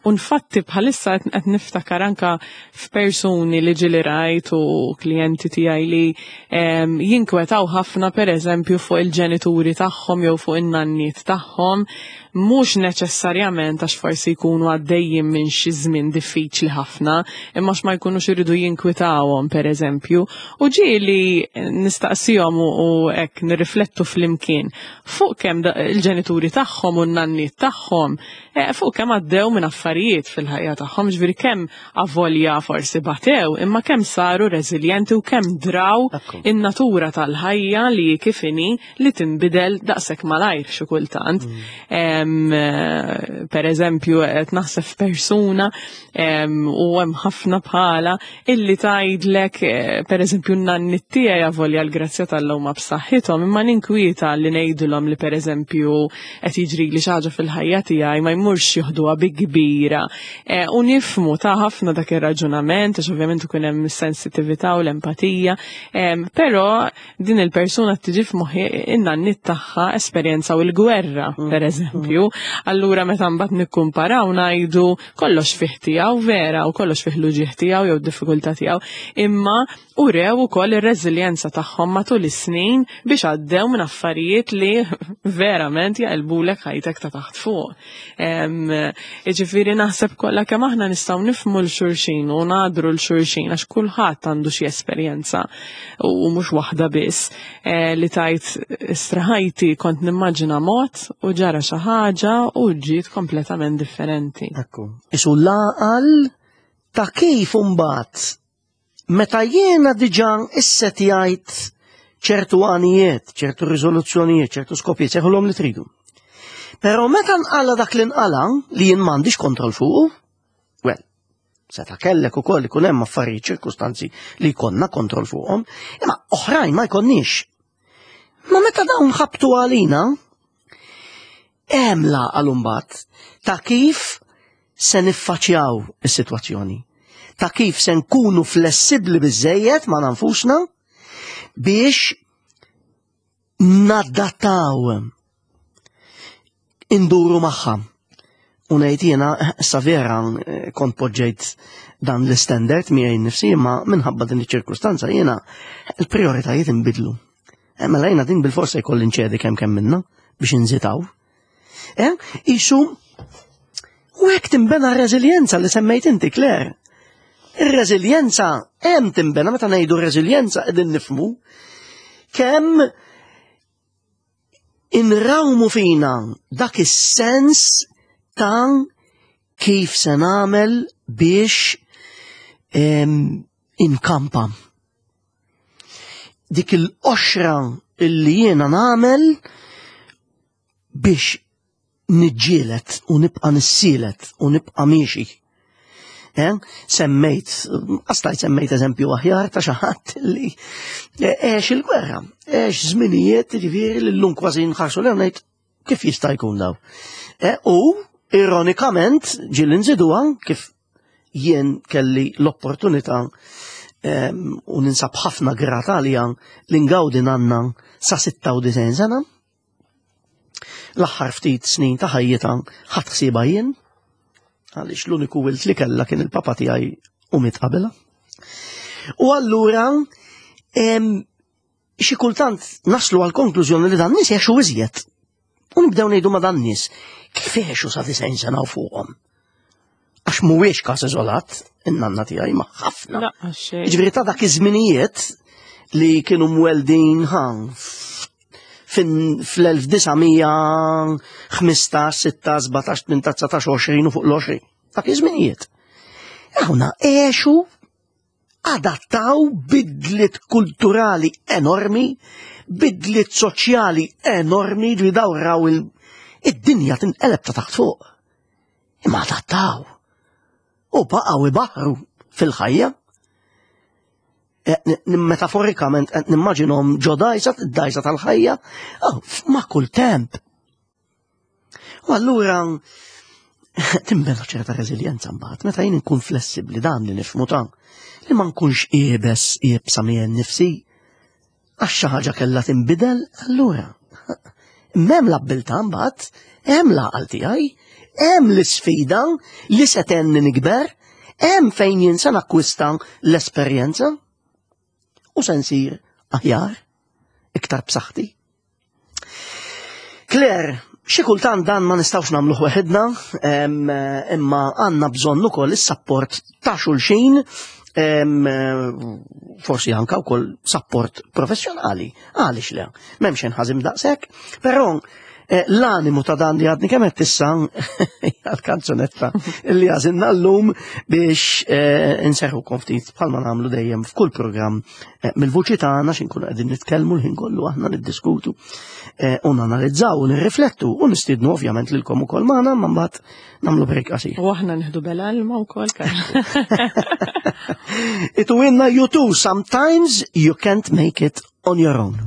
U nfatti bħalissa qed niftakar anka f'persuni li ġieli rajt u klijenti tiegħi li jinkwetaw ħafna, per eżempju, fuq il-ġenituri tagħhom jew fuq in-nanniet tagħhom, mhux neċessarjament għax forsi jkunu għaddejjin minn xi żmien diffiċli ħafna, imma ma jkunux iridu jinkwitawhom, per eżempju. U ġieli nistaqsihom u hekk nirriflettu flimkien fuq kemm il-ġenituri tagħhom u n-nanniet tagħhom eh, fuq kemm għaddew minn affarijiet fil-ħajja tagħhom, ġifieri kemm avolja forsi batew, imma kemm saru reżiljenti u kemm draw in-natura tal-ħajja li kif inhi, li tinbidel daqshekk malajr xi kultant. Mm. Per eżempju, qed naħseb persuna, u hemm ħafna bħala, illi tgħidlek, eh, per eżempju, n-nanniet tiegħi avolja l-grazzja t'Alla huma b'saħħithom, imma ninkwieta li ngħidulhom li, per eżempju, qed jiġri li xi ħaġa fil-ħajja tiegħi, ma jmurx joħduha bi kbira. Eh, u nifhmu ta' ħafna dak ir-raġunament, għax ovvjament ikun hemm sensitività u l-empatija, però din il-persuna tiġi f'moħħi, in-nanniet tagħha esperjenzaw il-gwerra, mm. per eżempju. eżempju. Allura meta mbagħad nikkumparaw ngħidu kollox fih tiegħu vera u kollox fih l-uġigħ tiegħu jew diffikultà tiegħu, imma urew ukoll ir-reżiljenza tagħhom matul is-snin biex għaddew minn affarijiet li verament jaqilbulek ħajtek ta' taħt fuq. Jiġifieri naħseb kollha kemm aħna nistgħu nifhmu 'l xulxin u nagħdru 'l xulxin għax kulħadd għandu xi esperjenza u mhux waħda biss li tajt istraħajti kont nimmaġina mod u ġara xi ħaġa u ġiet kompletament differenti. Ekku. Isu l-għaqal ta' kif imbagħad meta jiena diġà issetjajt ċertu għanijiet, ċertu riżoluzzjonijiet, ċertu skopijiet, sejħulhom li tridu. Però meta nqala dak li nqala li jien m'għandix kontroll fuqu, well, seta' kellek ukoll ikun hemm affarijiet, ċirkustanzi li jkollna kontroll fuqhom, imma oħrajn ma jkollniex. Ma meta dawn ħabtu għalina, hemm l-għaqal imbagħad ta' kif se niffaċċjaw is-sitwazzjoni, ta' kif se nkunu flessibbli biżejjed ma' nfusna biex nadattaw, induru magħha. U ngħid jiena, issa vera kont poġġejt dan l-standard miegħi nnifsi, imma minħabba din iċ-ċirkustanza jiena l-prijoritajiet inbidlu. Mela jiena din bil-forsa jkolli nċedi kemm kemm minna biex inżitaw. Eh, isu u hekk tinbena r-reżiljenza li semmejt inti, Claire. Ir-reżiljenza hemm tinbena, meta ngħidu reżiljenza qegħdin nifhmu kemm inrawmu fina dak is-sens ta' kif se nagħmel biex inkampa. Dik il-qoxra illi jiena nagħmel biex niġġielet u nibqa' nissielet u nibqa' miexi. Eh? Semmejt, għastajt semmejt eżempju aħjar ta' xi ħadd li għex il-gwerra, għex żminijiet ġifieri li llum kważi nħarsu lejn ngħid kif jista' jkun daw. Eh, u ironikament ġieli nżiduha kif jien kelli l-opportunità u ninsab ħafna grata għalija li ngawdi nanna sa sitta u disgħin sena. L-aħħar ftit snin ta' ħajjitha ħadd ħsiebha jien, għaliex l-uniku wilt li kellha kien il-papa tiegħi u miet qabilha. U allura xi kultant naslu għal konklużjoni li dan nies jgħixu iżjed. U nibdew ngħidu ma' dan nies kif jgħixu sa disgħin sena u fuqhom. Għax mhuwiex każ iżolat, in-nanna tiegħi ma' ħafna. Jiġifieri ta' dak iż-żminijiet li kienu mweldin ħa fl-elf disa' mija ħmistax, sittax, sbatax, tmintax, dsatax, għoxrin u fuq l-għoxrin. Dak iż-żminijiet. Hawnna għexu, adattaw bidliet kulturali enormi, bidliet soċjali enormi, li daw raw id-dinja tinqeleb ta' taħt fuq. Imma adattaw. U baqgħu ibaħru fil-ħajja. Metaforikament qed nimmaġinhom ġo dajsa, id-dajsa tal-ħajja, ma' kull temp. U allura timbena ċerta reżiljenza mbagħad, meta jien inkun flessibbli dan li nifhmu ta' li ma nkunx iebes iebsa miegħi nnifsi, għax xi ħaġa kellha tinbidel, allura m'hemm l-abbiltà mbagħad, hemm l-għaqal tiegħi, hemm l-isfida li se tenni nikber, hemm fejn jien se nakkwista l-esperjenza u se nsir aħjar, iktar b'saħħti. Claire, xi kultant dan ma nistgħux nagħmluh weħidna, imma għandna bżonn ukoll is-sapport ta' xulxin, forsi anke wkoll sapport professjonali. Għaliex le, m'hemmx inħażim daqshekk, però l-animu ta' dan li għadni kemm qed issa għal-kanzunetta li għażilna llum biex inserħukom ftit bħalma nagħmlu dejjem f'kull programm mill-vuċi tagħna x'inkunu qegħdin nitkellmu l-ħin kollu aħna niddiskutu u nanalizzaw u nirriflettu u nistiednu ovvjament lilkom ukoll magħna, imma mbagħad nagħmlu break qasir. U aħna nieħdu bela ilma wkoll. Ituwinna you too, sometimes you can't make it on your own.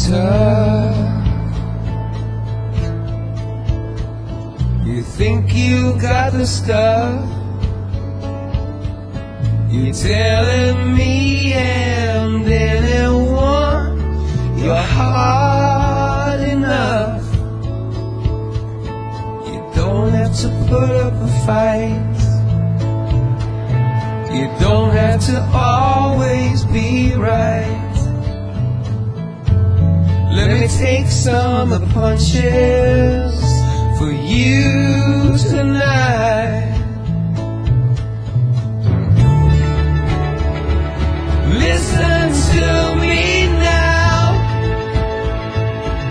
Touch Think you got the stuff. You're telling me and anyone you're hard enough. You don't have to put up a fight. You don't have to always be right. Let me take some of the punches for you tonight. Listen to me now.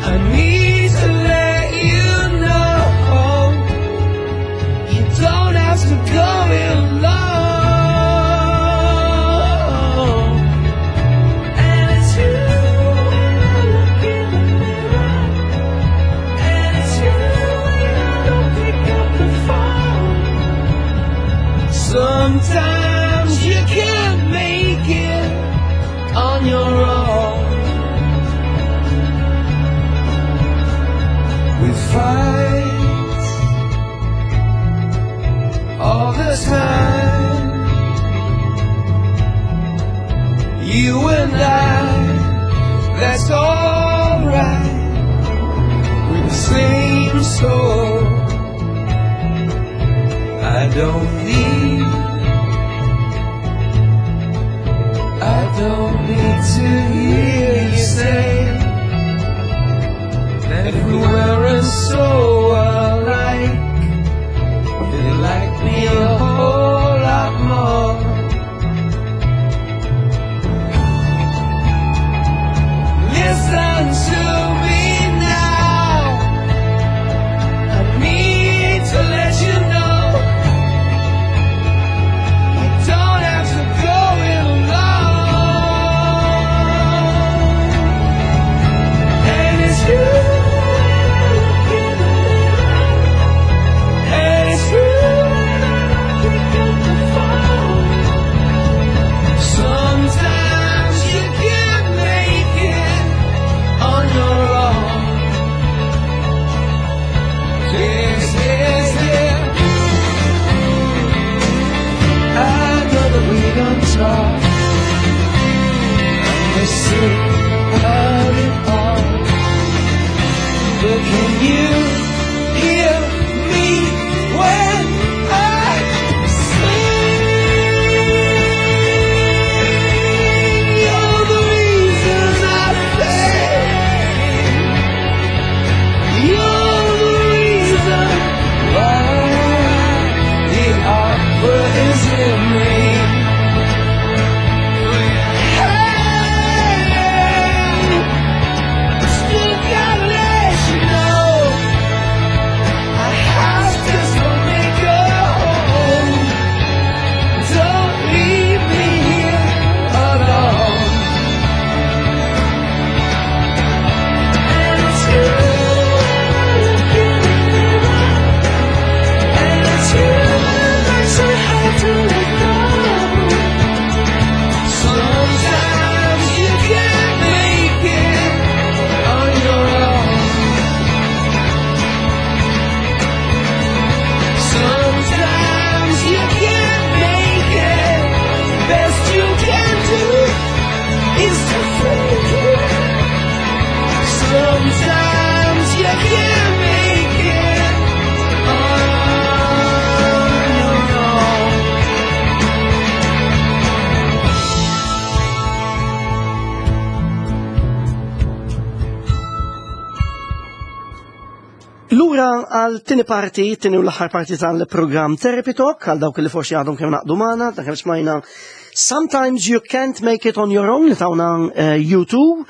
I need to let you know you don't have to go it alone. And it's you when I look in the mirror, and it's you when I don't pick up the phone. Sometimes you can't make it on your own. We fight all the time, you and I, that's alright. We're the same soul. I don't need, I don't need to hear you say that if we weren't so alike, they'd like me a whole lot more. Listen to me now. I need to let you know you don't have to go it alone. And it's you when I look in the mirror, and it's you when I don't pick up the phone. Sometimes you can't make it on your own. Yes, yes, yeah. I know that we don't talk, and we're sick of it all. But can you hear me when I sing? You're the reason I sing. You're the reason why the opera is in me. Hey, still gotta let you know I have to let go. Don't leave me here alone. And it's you when I look in the mirror, and it's you that's so hard to let go. Sometimes you can't make it on your own. Sometimes you can't make it. Best you can do is to fake it. Sometimes you can't make it on your own. Lura għal tieni parti, tieni u l-aħħar parti tal-programm Therapy Talk, għal dawk li forsi għadhom kemm ngħaqdu magħna, ta' kemm smajna Sometimes You Can't Make It On Your Own li tawna eh, U two.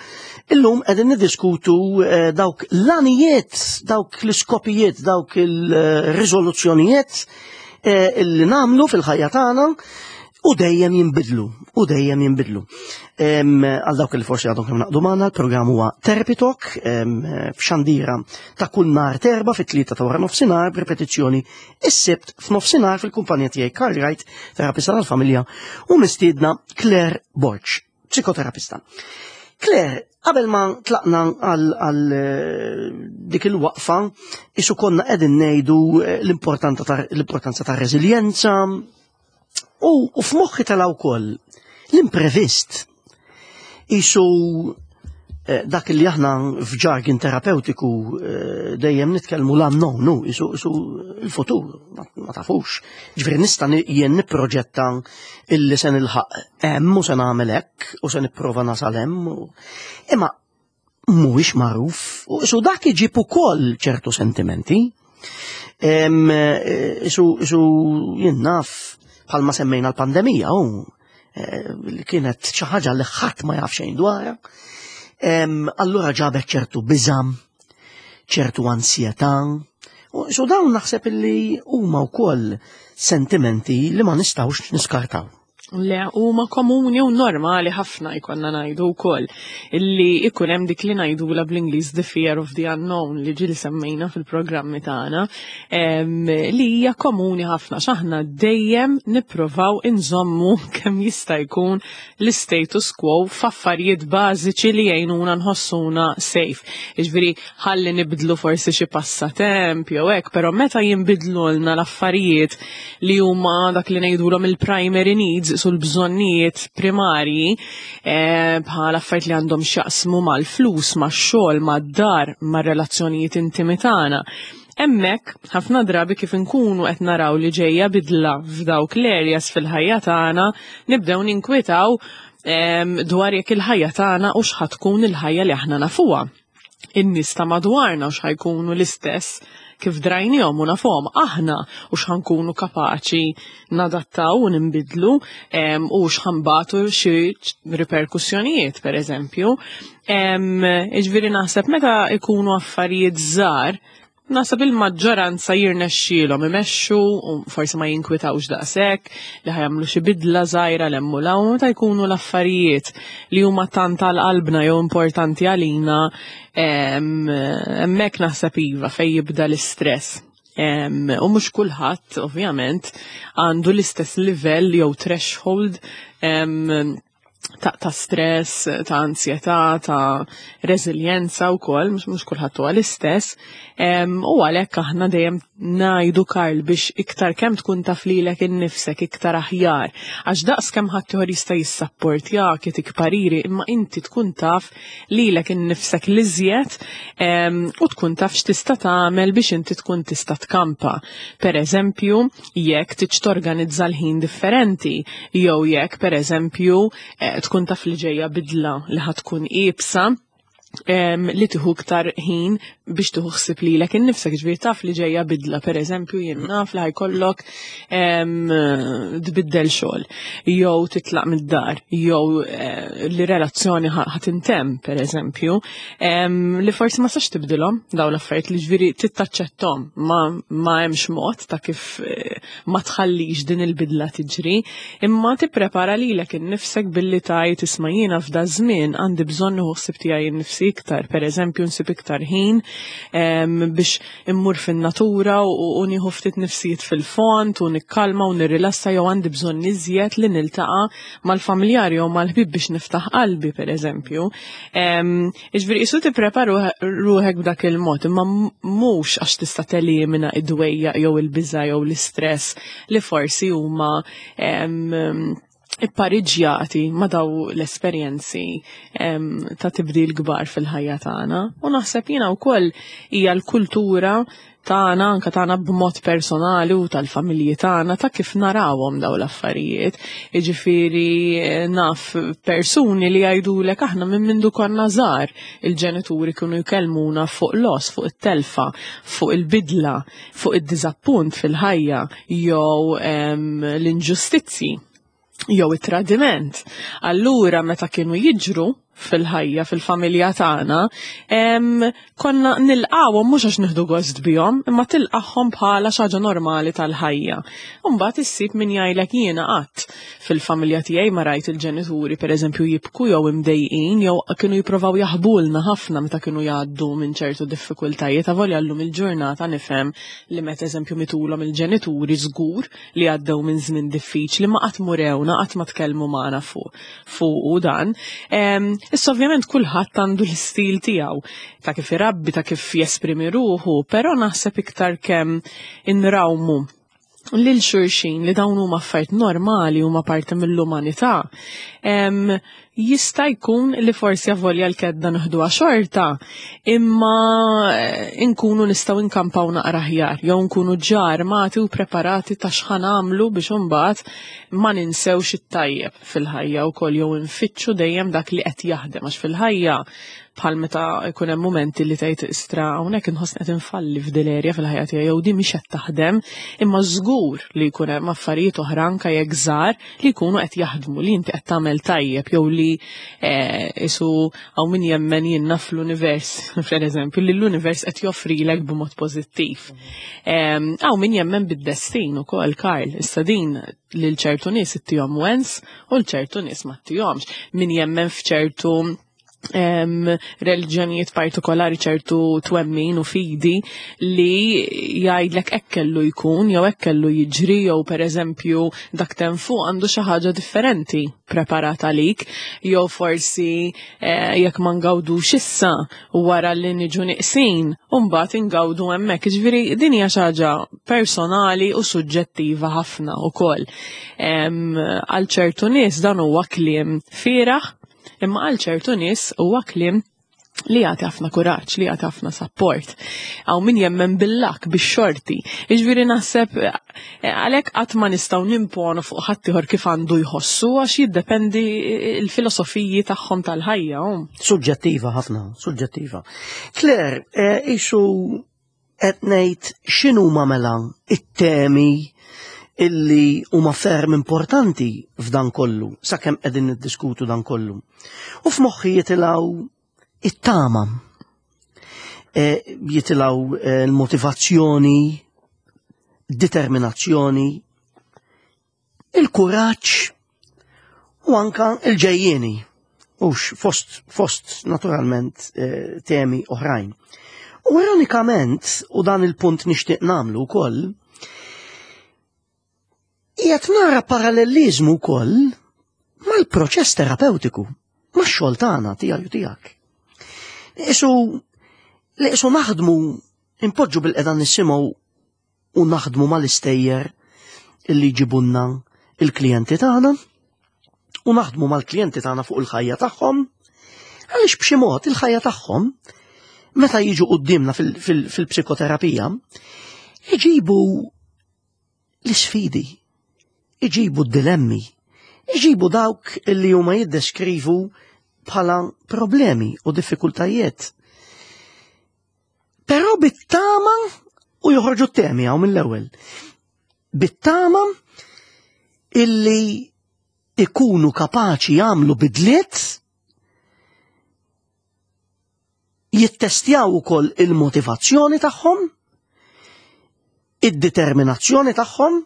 Illum qegħdin niddiskutu eh, dawk l-għanijiet, dawk l-iskopijiet, dawk il-riżoluzzjonijiet eh, illi nagħmlu fil-ħajja tagħna u dejjem jinbidlu, u dejjem jinbidlu. Em, Għal dawk li forsi għadhom kemm ngħaqdu magħna, il-programm huwa Therapy Talk, em, f'xandira ta' kull nhar t'Erbgħa fit-tlieta ta' wara nofsinhar b'ripetizzjoni is-Sibt f'nofsinhar fil-kumpanija tiegħi Karl Wright, terapista tal-familja, u mistiedna Claire Borg, psikoterapista. Claire, qabel ma tlaqna għal għal, eh, dik il-waqfa, isu konna qegħdin ngħidu eh, l-importanza ta' l-importanza ta' reżiljenza u, u f'moħħi tela' wkoll l-imprevist. Isu eh, dak li aħna f'jargon terapeutiku eh, dejjem nitkellmu l-unknown, nu, isu, isu il-futur, ma, ma tafux. Ġifieri nista' ni- jien nipproġetta illi se nilħaq hemm u se nagħmel hekk u se nipprova nasal hemm. u- Imma mhuwiex magħruf u isu dak iġib ukoll ċertu sentimenti. Em, eh, Isu, isu jien naf bħalma semmejna l-pandemija, u eh, li kienet xi ħaġa li ħadd ma jaf xejn dwarha. Em, Allura ġabet ċertu biżam, ċertu ansjetà. U so dawn naħseb illi huma wkoll sentimenti li ma nistgħux niskartaw. Le, huma komuni u normali ħafna jkollna ngħidu wkoll illi ikun hemm dik li ngħidula bl-Ingliż the fear of the unknown li ġieli semmejna fil-programmi tagħna, em, li hija komuni ħafna x'aħna dejjem nippruvaw inżommu kemm jista' jkun l-status quo f'affarijiet bażiċi li jgħinuna nħossuna safe. Jiġifieri ħalli nibdlu forsi xi passatemp jew hekk, però meta jinbidlulna l-affarijiet li huma dak li ngħidulhom il-primary needs sul-bżonnijiet primarji, eh, bħal affarijiet li għandhom x'jaqsmu mal-flus, max-xogħol, mad-dar, mar-relazzjonijiet intimi tagħna. Hemmhekk, ħafna drabi kif inkunu qed naraw li ġejja bidla f'dawk l-areas fil-ħajja tagħna, nibdew ninkwitaw em, dwar jekk il-ħajja tagħna u x'ħa tkun il-ħajja li aħna nafuha. In-nies ta' madwarna u x'ħa jkunu l-istess kif drajnihom u nafhom aħna u x'ħa nkunu kapaċi nadattaw u nimbidlu em, u x'ħa nbatu xi riperkussjonijiet per eżempju. Em, Jiġifieri naħseb meta ikunu affarijiet żgħar, naħseb il-maġġoranza jirnexxielhom imexxu u forsi ma jinkwitawx daqshekk li ħa jagħmlu xi bidla żgħira 'l hemm u 'l hawn, meta jkunu l-affarijiet li huma tant għal qalbna jew importanti għalina, em, hemmhekk naħseb iva fejn jibda l-istress. Em, U mhux kulħadd ovvjament għandu l-istess livell jew threshold em, ta', ta' stress, ta' ansjetà, ta' reżiljenza wkoll, mhux mhux kulħadd huwa l-istess. Em, U għalhekk aħna dejjem ngħidu, Karl, biex iktar kemm tkun taf lilek innifsek iktar aħjar. Għax daqs kemm ħadd jista' jissapportjak, jtik pariri, imma inti tkun taf lilek innifsek l-iżjed em, u tkun taf x'tista' tagħmel biex inti tkun tista' tkampa. Per eżempju, jekk tiġ torganizza l-ħin differenti, jew jekk per eżempju eh, tkun taf li ġejja bidla li ħa tkun iebsa, em, li tieħu iktar ħin biex tieħu ħsieb lilek innifsek, ġifieri taf li ġejja bidla, per eżempju, jien naf li ħa jkollok em, tbiddel xogħol, jew titlaq mid-dar, jew eh, li relazzjoni ħa ħa tintemm, per eżempju, em, li forsi ma sax tibdilhom dawn l-affarijiet li ġifieri tittaċċettom, ma ma hemmx mod ta' kif eh, ma tħallix din il-bidla tiġri, imma tipprepara lilek innifsek billi tgħid, "Isma', jiena f'da żmien għandi bżonn nieħu ħsieb tiegħi nnifsi iktar, per eżempju nsib iktar ħin em, biex immur fin-natura u, u nieħu ftit nifsijiet fil-fond u nikkalma u nirrilassa, jew għandi bżonn iżjed li niltaqa' mal-familjari jew mal-ħbieb biex niftaħ qalbi, per eżempju." Em, Jiġifieri isu tipprepara ruħek b'dak il-mod, imma mhux għax tista' telimina id-dwejja jew il-biża' jew l-istress li forsi huma em, ippariġjati ma' daw l-esperjenzi em, ta' tibdil kbar fil-ħajja tagħna. U naħseb jiena wkoll hija l-kultura tagħna, anka tagħna b'mod personali u tal-familji tagħna, ta' kif narawhom daw l-affarijiet. Jiġifieri eh, naf persuni li jgħidulek, "Aħna minn mindu konna żgħar il-ġenituri kienu jkellmuna fuq loss, fuq it-telfa, fuq il-bidla, fuq id-diżappunt fil-ħajja jew em, l-inġustizzi jew it-tradiment." Allura meta kienu jiġru fil-ħajja, fil-familja tagħna, em, konna nilqawhom mhux għax nieħdu gost bihom, imma tilqahom bħala xi ħaġa normali tal-ħajja. Mbagħad issib min jgħidlek, "Jiena qatt fil-familja tiegħi ma rajt il-ġenituri pereżempju jibku jew imdejqin, jew kienu jippruvaw jaħbulna ħafna meta kienu jgħaddu minn ċertu diffikultajiet." Avolja llum il-ġurnata nifhem li meta eżempju mitulhom il-ġenituri żgur li għaddew minn żmien diffiċli, ma qatt murewna, qatt ma tkellmu magħna fuq fuq dan. Em, Issa ovvjament kulħadd għandu l-istil tiegħu ta' kif irabbi, ta' kif jesprimi ruħu, però naħseb iktar kemm inrawmu lil xulxin li dawn huma affarijiet normali, huma parti mill-umanità. Jista' jkun li forsi avolja l-kedda nieħduha xorta, imma nkunu nistgħu nkampaw naqra aħjar, jew nkunu ġa armati u preparati ta' x'ħa nagħmlu biex imbagħad ma ninsewx it-tajjeb fil-ħajja wkoll, jew nfittxu dejjem dak li qed jaħdem, għax fil-ħajja bħal meta jkun hemm momenti li tgħid, "Istra, hawnhekk inħossni qed infalli f'dil-erja fil-ħajja tiegħi jew di mhix qed taħdem," imma żgur li jkun hemm affarijiet oħra, anke jekk żgħar, li jkunu qed jaħdmu, li inti qed tagħmel tajjeb jew li isu hawn min jemmen jiena fl-univers, per eżempju, li l-univers qed joffrilek b'mod pożittiv. Hawn min jemmen bid-destin ukoll, Karl, issa din lil ċertu nies ittihom wens u l ċertu nies ma ttihomx. Min jemmen f'ċertu reliġjonijiet partikolari, ċertu twemmin u fidi li jgħidlek hekk kellu jkun jew hekk kellu jiġri, jew per eżempju dak tem fuq għandu xi ħaġa differenti preparata għalik, jew forsi eh, jekk ma ngawdux issa, wara li niġu niqsin u mbagħad ingawdu hemmhekk. Jiġifieri din hija xi ħaġa personali u suġġettiva ħafna ukoll. Għal ċertu nies dan huwa kliem fieragħ, imma għal ċertu nies huwa kliem li jagħti ħafna kuraġġ, li jagħti ħafna support. Hawn min jemmen bil-luck, bix-xorti. Jiġifieri naħseb eh, għalhekk qatt ma nistgħu nimponu fuq ħaddieħor kif għandu jħossu, għax jiddependi il-filosofiji tagħhom tal-ħajja. Suġġettiva ħafna, suġġettiva. Claire, eh, isu qed ngħid x'inhuma mela it-temi illi huma ferm importanti f'dan kollu, sakemm qegħdin niddiskutu dan kollu? U f'moħħi jitilgħu it-tama, e, jitilgħu e, l-motivazzjoni, determinazzjoni, il-kuraġġ u anka il-ġejjieni. Ux fost, fost naturalment e, temi oħrajn. U ironikament, u dan il-punt nixtieq nagħmlu wkoll, qiegħed nara parallelizmu wkoll mal-proċess terapeutiku, max-xogħol tagħna, tiegħi u tiegħek. Isu li isu naħdmu, impoġġu bilqiegħda nisimgħu u naħdmu mal-istejjer illi jġibunna il-klijenti tagħna u naħdmu mal-klijenti tagħna fuq il-ħajja tagħhom, għaliex b'xi mod il-ħajja tagħhom meta jiġu quddiemna fil-psikoterapija iġibu l-isfidi, iġibu d-dilemmi, iġibu dawk illi huma jiddeskrivu bħala problemi u diffikultajiet. Però bit-tama, u joħorġu t-temi hawn mill-ewwel, bit-tama illi ikunu kapaċi jagħmlu bidliet, jittestjaw ukoll il-motivazzjoni tagħhom, id-determinazzjoni tagħhom,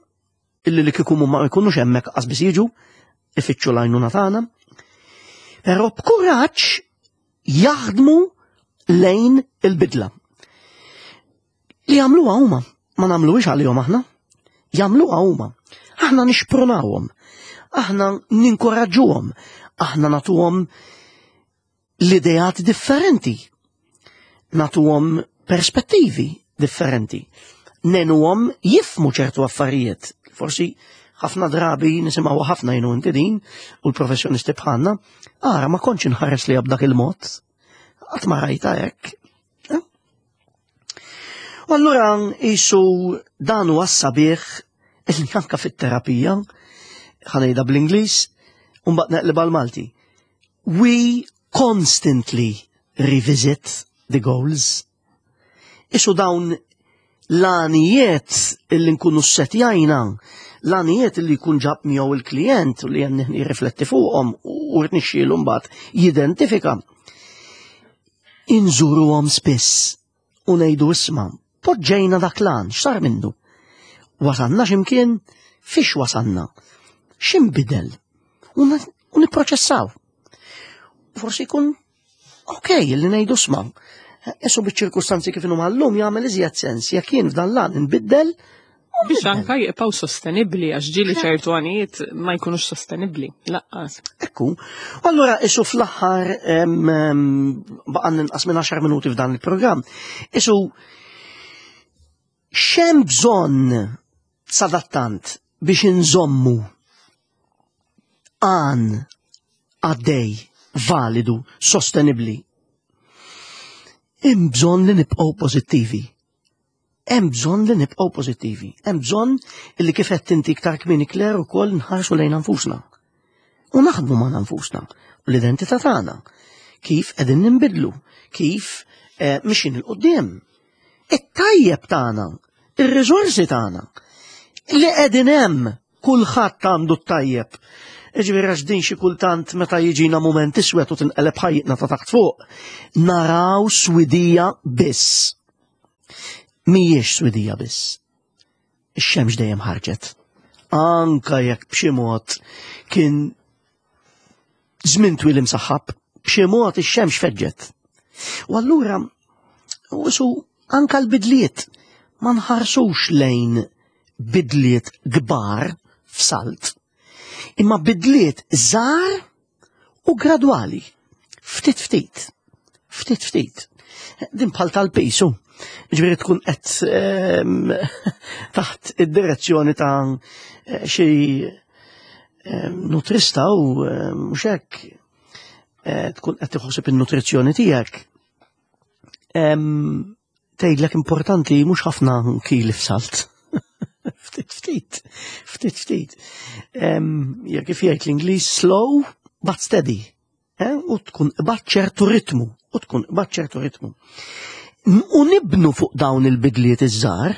illi li kieku ma jkunux hemmhekk qas biss jiġu ifittxu l-għajnuna tagħna. Però b'kuraġġ jaħdmu lejn il-bidla. Li jagħmluha huma, ma nagħmluhiex għalihom aħna. Jagħmluha huma. Aħna nixprunawhom, aħna ninkoraġġuhom, aħna nagħtuhom l-ideat differenti, nagħtuhom perspettivi differenti, ngħinuhom jifhmu ċertu affarijiet. Forsi ħafna drabi nisimgħu ħafna jenu inti din u l-professjonisti bħalna, "Ara, ma kontx inħares li b'dak il-mod, qatt ma rajta hekk." Eh? U allura isu dan huwa sabiħ illi anka fit-terapija, ħa ngħidha bl-Ingliż, u mbagħad neqleb għal-Malti. We constantly revisit the goals. Isu dawn l-għanijiet illi nkunu setjajna, l-għanijiet illi jkun ġab miegħu il-klient u li għan jirrifletti fuqhom u rnixxielu mbagħad jidentifika. Inżuruhom spiss u ngħidu, "Isma', poġġejna dak l-għan, x'sar minnu? Wasanna x'imkien, fiex wasanna, x'inbidel?" U nipproċessaw. Forsi jkun ok li ngħidu, "Isma', Esu biċ-ċirkustanzi kif inhuma llum jagħmel iżjed sens jekk jien f'dan l-għan nbiddel Biex anka jibqgħu sostenibbli, għax ġieli ċertu għanijiet ma jkunux sostenibbli. Lanqas. Ekku. U allura isu fl-aħħar baqa' inqas minn għaxar minuti f'dan il-programm. Isu x'hemm bżonn sadattant biex inżommu għan għaddej, validu, sostenibli? Hemm bżonn li nibqgħu pożittivi. Hemm bżonn li nibqgħu pożittivi. Hemm bżonn li, kif qed inti iktar kmieni, Claire, ukoll nħarsu lejn nfusna. U naħdmu ma' nfusna u l-identità tagħna. Kif qegħdin ninbidlu, kif eh, mixin 'il quddiem. It-tajjeb tagħna, ir-riżorsi tagħna li qegħdin hemm, kulħadd għandu t-tajjeb. Ġifieri għax din xi kultant meta jiġina mument iswed u tinqeleb ħajjitna ta' taħt fuq, naraw swidija biss. Mhijiex swidija biss. Ix-xemx dejjem ħarġet. Anka jekk b'xi mod kien żmien twil imsaħħab, b'xi mod ix-xemx feġġet. U allura u anka l-bidliet ma nħarsux lejn bidliet kbar f'salt, imma bidliet żgħar u gradwali. Ftit ftit. Ftit ftit. Din bħal tal-pisu. Ġifieri tkun qed ehm, taħt id-direzzjoni ta' xi ehm, nutrista u ehm, mhux hekk eh, tkun qed tħossib in-nutrizzjoni tiegħek. Tgħidlek importanti mhux ħafna kili f'salt. Ftit ftit, ftit ftit. Ja, kif jgħid l-Ingliż, slow but steady. Eh? U tkun bat ċertu ritmu, u tkun bat ċertu ritmu. U nibnu fuq dawn il-bidliet iż-żgħar,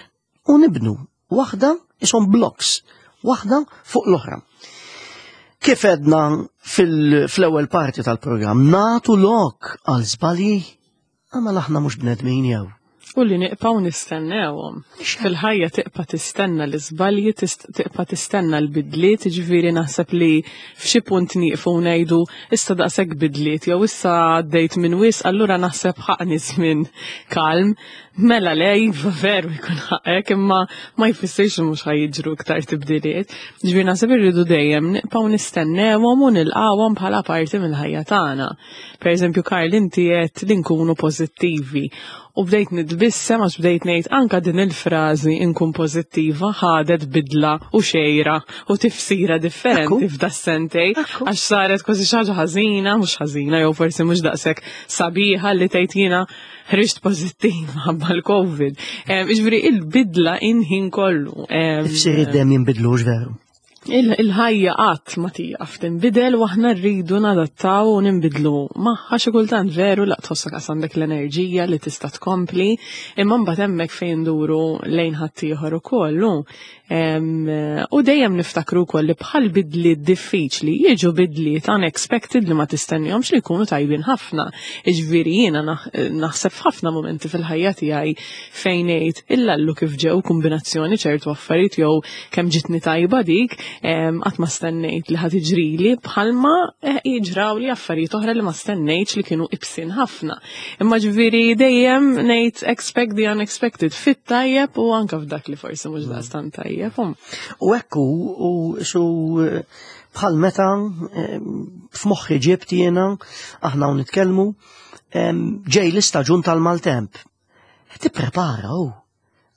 u nibnu waħda ishom blocks, waħda fuq l-oħra. Kif edna fil-ewwel parti tal-programm, nagħtu lok għal żbalji, għamma aħna mhux bnedmin jew. U li nibqgħu nistennewhom. Fil-ħajja tibqa' tistenna l-iżbalji, tibqa' tistenna l-bidliet, ġifieri naħseb li f'xi punt nieqfu ngħidu issa daqshekk bidliet jew issa għaddejt minn wisq, allura naħseb ħaqni żmien kalm. Mela le, iva, veru jkun ħaqek, imma ma jfissirx li mhux ħa jiġru iktar tibdiliet. Ġifieri naħseb irridu dejjem nibqgħu nistennewhom u nilqawhom bħala parti mill-ħajja tagħna. Per eżempju, Karl, inti qed li nkunu pożittivi u bdejt nitbissem għax bdejt ngħid anka din il-frażi "inkun pożittiva" ħadet bidla u xejra u tifsira differenti f'das-sentejn, għax saret kważi xi ħaġa ħażina, mhux ħażina jew forsi mhux daqshekk sabiħa li tgħid jiena ħriġt pożittiva ħabba l-Covid. Jiġifieri il-bidla inħin kollu. Tifsir id-dem jinbidlux, veru. Il-ħajja qatt ma tieqaf tinbidel u aħna rridu nadattaw u ninbidlu magħha. Xi kultant veru laq tħossok qas għandek l-enerġija li tista' tkompli, imma mbagħad hemmhekk fejn nduru lejn ħaddieħor ukoll. U dejjem niftakru wkoll li bħal bidliet diffiċli jiġu bidliet unexpected li ma tistennihomx li jkunu tajbin ħafna. Jiġifieri jiena naħseb f'ħafna momenti fil-ħajja tiegħi fejn ngħid illallu kif ġew kombinazzjoni ċertu affarijiet jew kemm ġitni tajba dik, qatt ma stennejt li ħa tiġrili, bħalma eh, jiġraw li affarijiet oħra li ma stennejtx li kienu ibsin ħafna. Imma ġifieri dejjem ngħid expect the unexpected fit-tajjeb u anka f'dak li forsi mhux daqstant tajjeb. U ekku, u su bħal meta f'moħħi ġibt jiena aħna u nitkellmu ġej l-istaġun tal-maltemp. Tipprepara u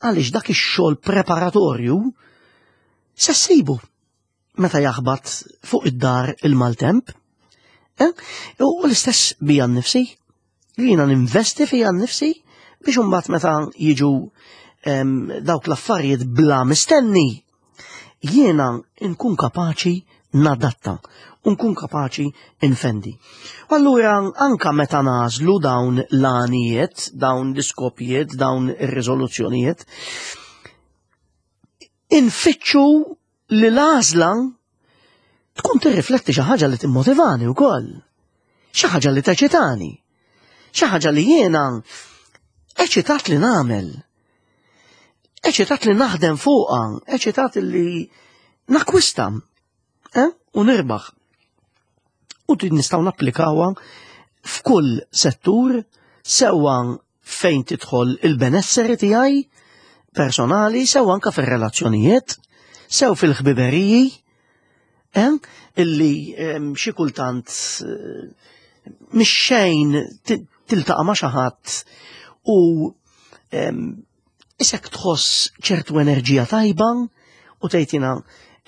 għaliex dak ix-xogħol preparatorju se ssibu meta jaħbat fuq id-dar il-maltemp. Eh? U l-istess bija nnifsi, jiena ninvesti fija nnifsi biex imbagħad meta jiġu dawk l-affarijiet bla mistenni, jiena nkun kapaċi nadatta, u nkun kapaċi infendi. U allura anka meta nagħżlu dawn l-għanijiet, dawn l-iskopijiet, dawn ir-riżoluzzjonijiet, infittxu li l-għażla tkun tirrifletti xi ħaġa li timmotivani wkoll. Xi ħaġa li teċitani. Xi ħaġa li jiena eċitat li nagħmel. Eċitat li naħdem fuqha, eċitat li nakwista, eh? U nirbaħ. U din nistgħu napplikawha f'kull settur, sewwa fejn tidħol il-benesseri tiegħi, personali, sew anka fir-relazzjonijiet, sew fil-ħbiberiji, eh? Illi em, xi kultant eh, mhix xejn ti- tiltaqa' ma' xi ħadd u em, isek tħoss ċertu enerġija tajba u tgħid jiena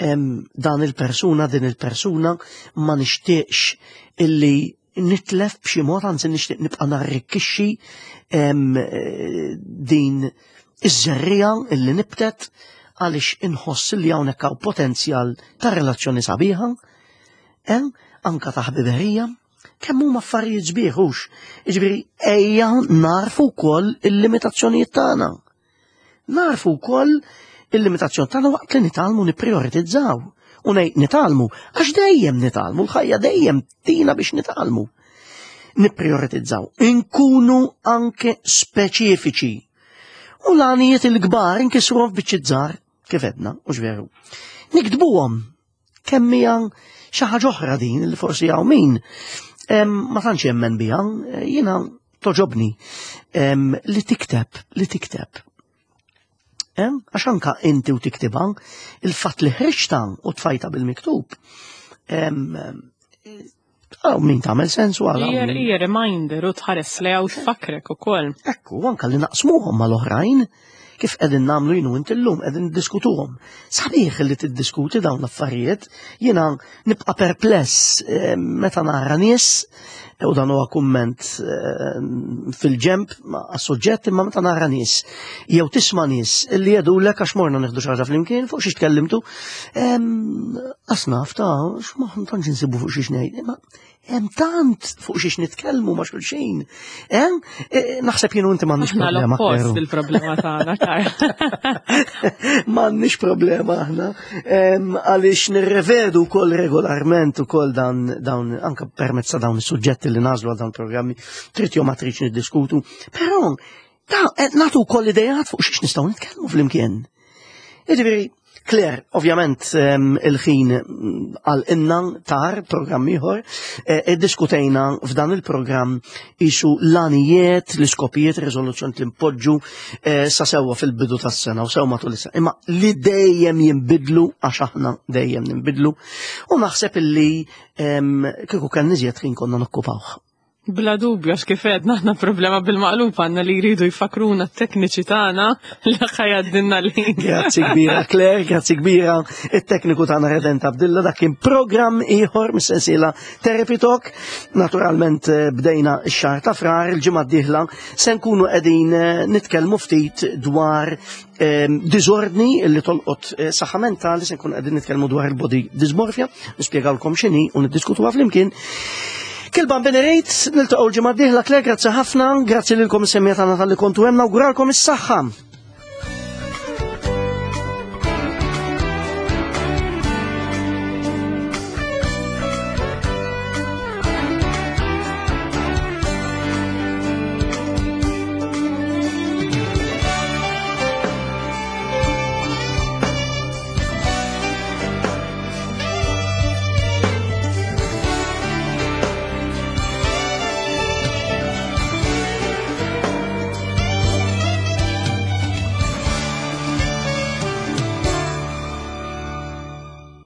em, dan il-persuna, din il-persuna ma nixtieqx illi nitlef b'xi mod, anzi nixtieq nibqa' narrikkixxi em, eh, din iż-żerriegħa illi nibtet għaliex inħoss li hawnhekk hawn potenzjal ta' relazzjoni sabiħa, eh, anka ta' ħbiberija, kemm huma affarijiet sbieħ hux. Jiġifieri ejja narfu wkoll il-limitazzjonijiet tagħna. Narfu wkoll il-limitazzjoni tagħna waqt li nitgħallmu nipprioritizzaw. U ngħid nitgħallmu, għax dejjem nitgħallmu, l-ħajja dejjem tina biex nitgħallmu. Nipprioritizzaw, inkunu anke speċifiċi. U l-għanijiet il-kbar inkisruhom f'biċċiet żgħar, kif edna, u veru. Niktbuhom kemm hija xi ħaġa oħra din li forsi hawn min em, ma tantx jemmen biha, eh, jiena togħġobni em, li tikteb, li tikteb. Em, Għax anka inti u tiktibha, il-fatt li ħriġta u tfajta bil-miktub, em, għaw min tagħmel sens u għal Hija min- hija reminder u tħares lejha u tfakkrek ukoll. Ekku, anka li naqsmuhom mal-oħrajn, kif qegħdin nagħmlu jien u inti llum, qegħdin niddiskutuhom. Sabiħ li tiddiskuti dawn l-affarijiet, jiena nibqa' perpless eh, meta nara nies, u dan huwa kumment eh, fil-ġemp għas-suġġett, imma meta nara nies, jew tisma' nies li jgħidulek għax morna nieħdu xi ħaġa flimkien fuq xiex tkellimtu, em, asnaf ta' x'ma tantx insibu fuq xiex ngħid, imma hemm tant fuq xiex nitkellmu ma' xulxin. Eh? Eh, Naħseb jien u inti m'għandniex Aħna problema. l-oppost Kleru. il-problema tagħna, Karl. M'għandniex problema aħna. Em, Għaliex nirrevedu wkoll regolarment ukoll dan dawn anka permezz ta' dawn is-suġġetti li nażlu għal dawn programmi, trid jew ma tridx niddiskutu. Però ta' eh, nagħtu wkoll idejat fuq xiex nistgħu nitkellmu flimkien. Jiġifieri, Claire, ovvjament em, il-ħin mm, għal inna tar programm ieħor, eh, iddiskutejna f'dan il-programm isu l-għanijiet, l-iskopijiet, riżoluzzjoni li npoġġu eh, sa sewwa fil-bidu tas-sena u sew matul is-sena. Imma li dejjem jinbidlu għax aħna dejjem ninbidlu u naħseb illi em, kieku kien iżjed ħin konna nokkupawh. Bla dubju, għax kif għedna aħna problema bil-maqlub għandna li jridu jfakruna t-tekniċi tagħna li ħa jgħaddilna l-ħin. Grazzi kbira Claire, grazzi kbira it-tekniku tagħna Redent Abdilla, dak kien programm ieħor mis-sensiela Therapy Talk. Naturalment eh, bdejna x-xahar ta' Frar, il-ġimgħa d-dieħla se nkunu qegħdin eh, nitkellmu ftit dwar eh, diżordni li tolqot eh, saħħa mentali, se nkunu qegħdin nitkellmu dwar il-body dysmorphia, nispjegawlkom x'inhi u niddiskutuha flimkien. Kilban Benerejt, niltaqgħu l-ġimgħa d-dieħla, Claire, grazzi ħafna, grazzi lilkom is-semmiegħa tagħna talli kontu hemm, nawguralkom is-saħħa.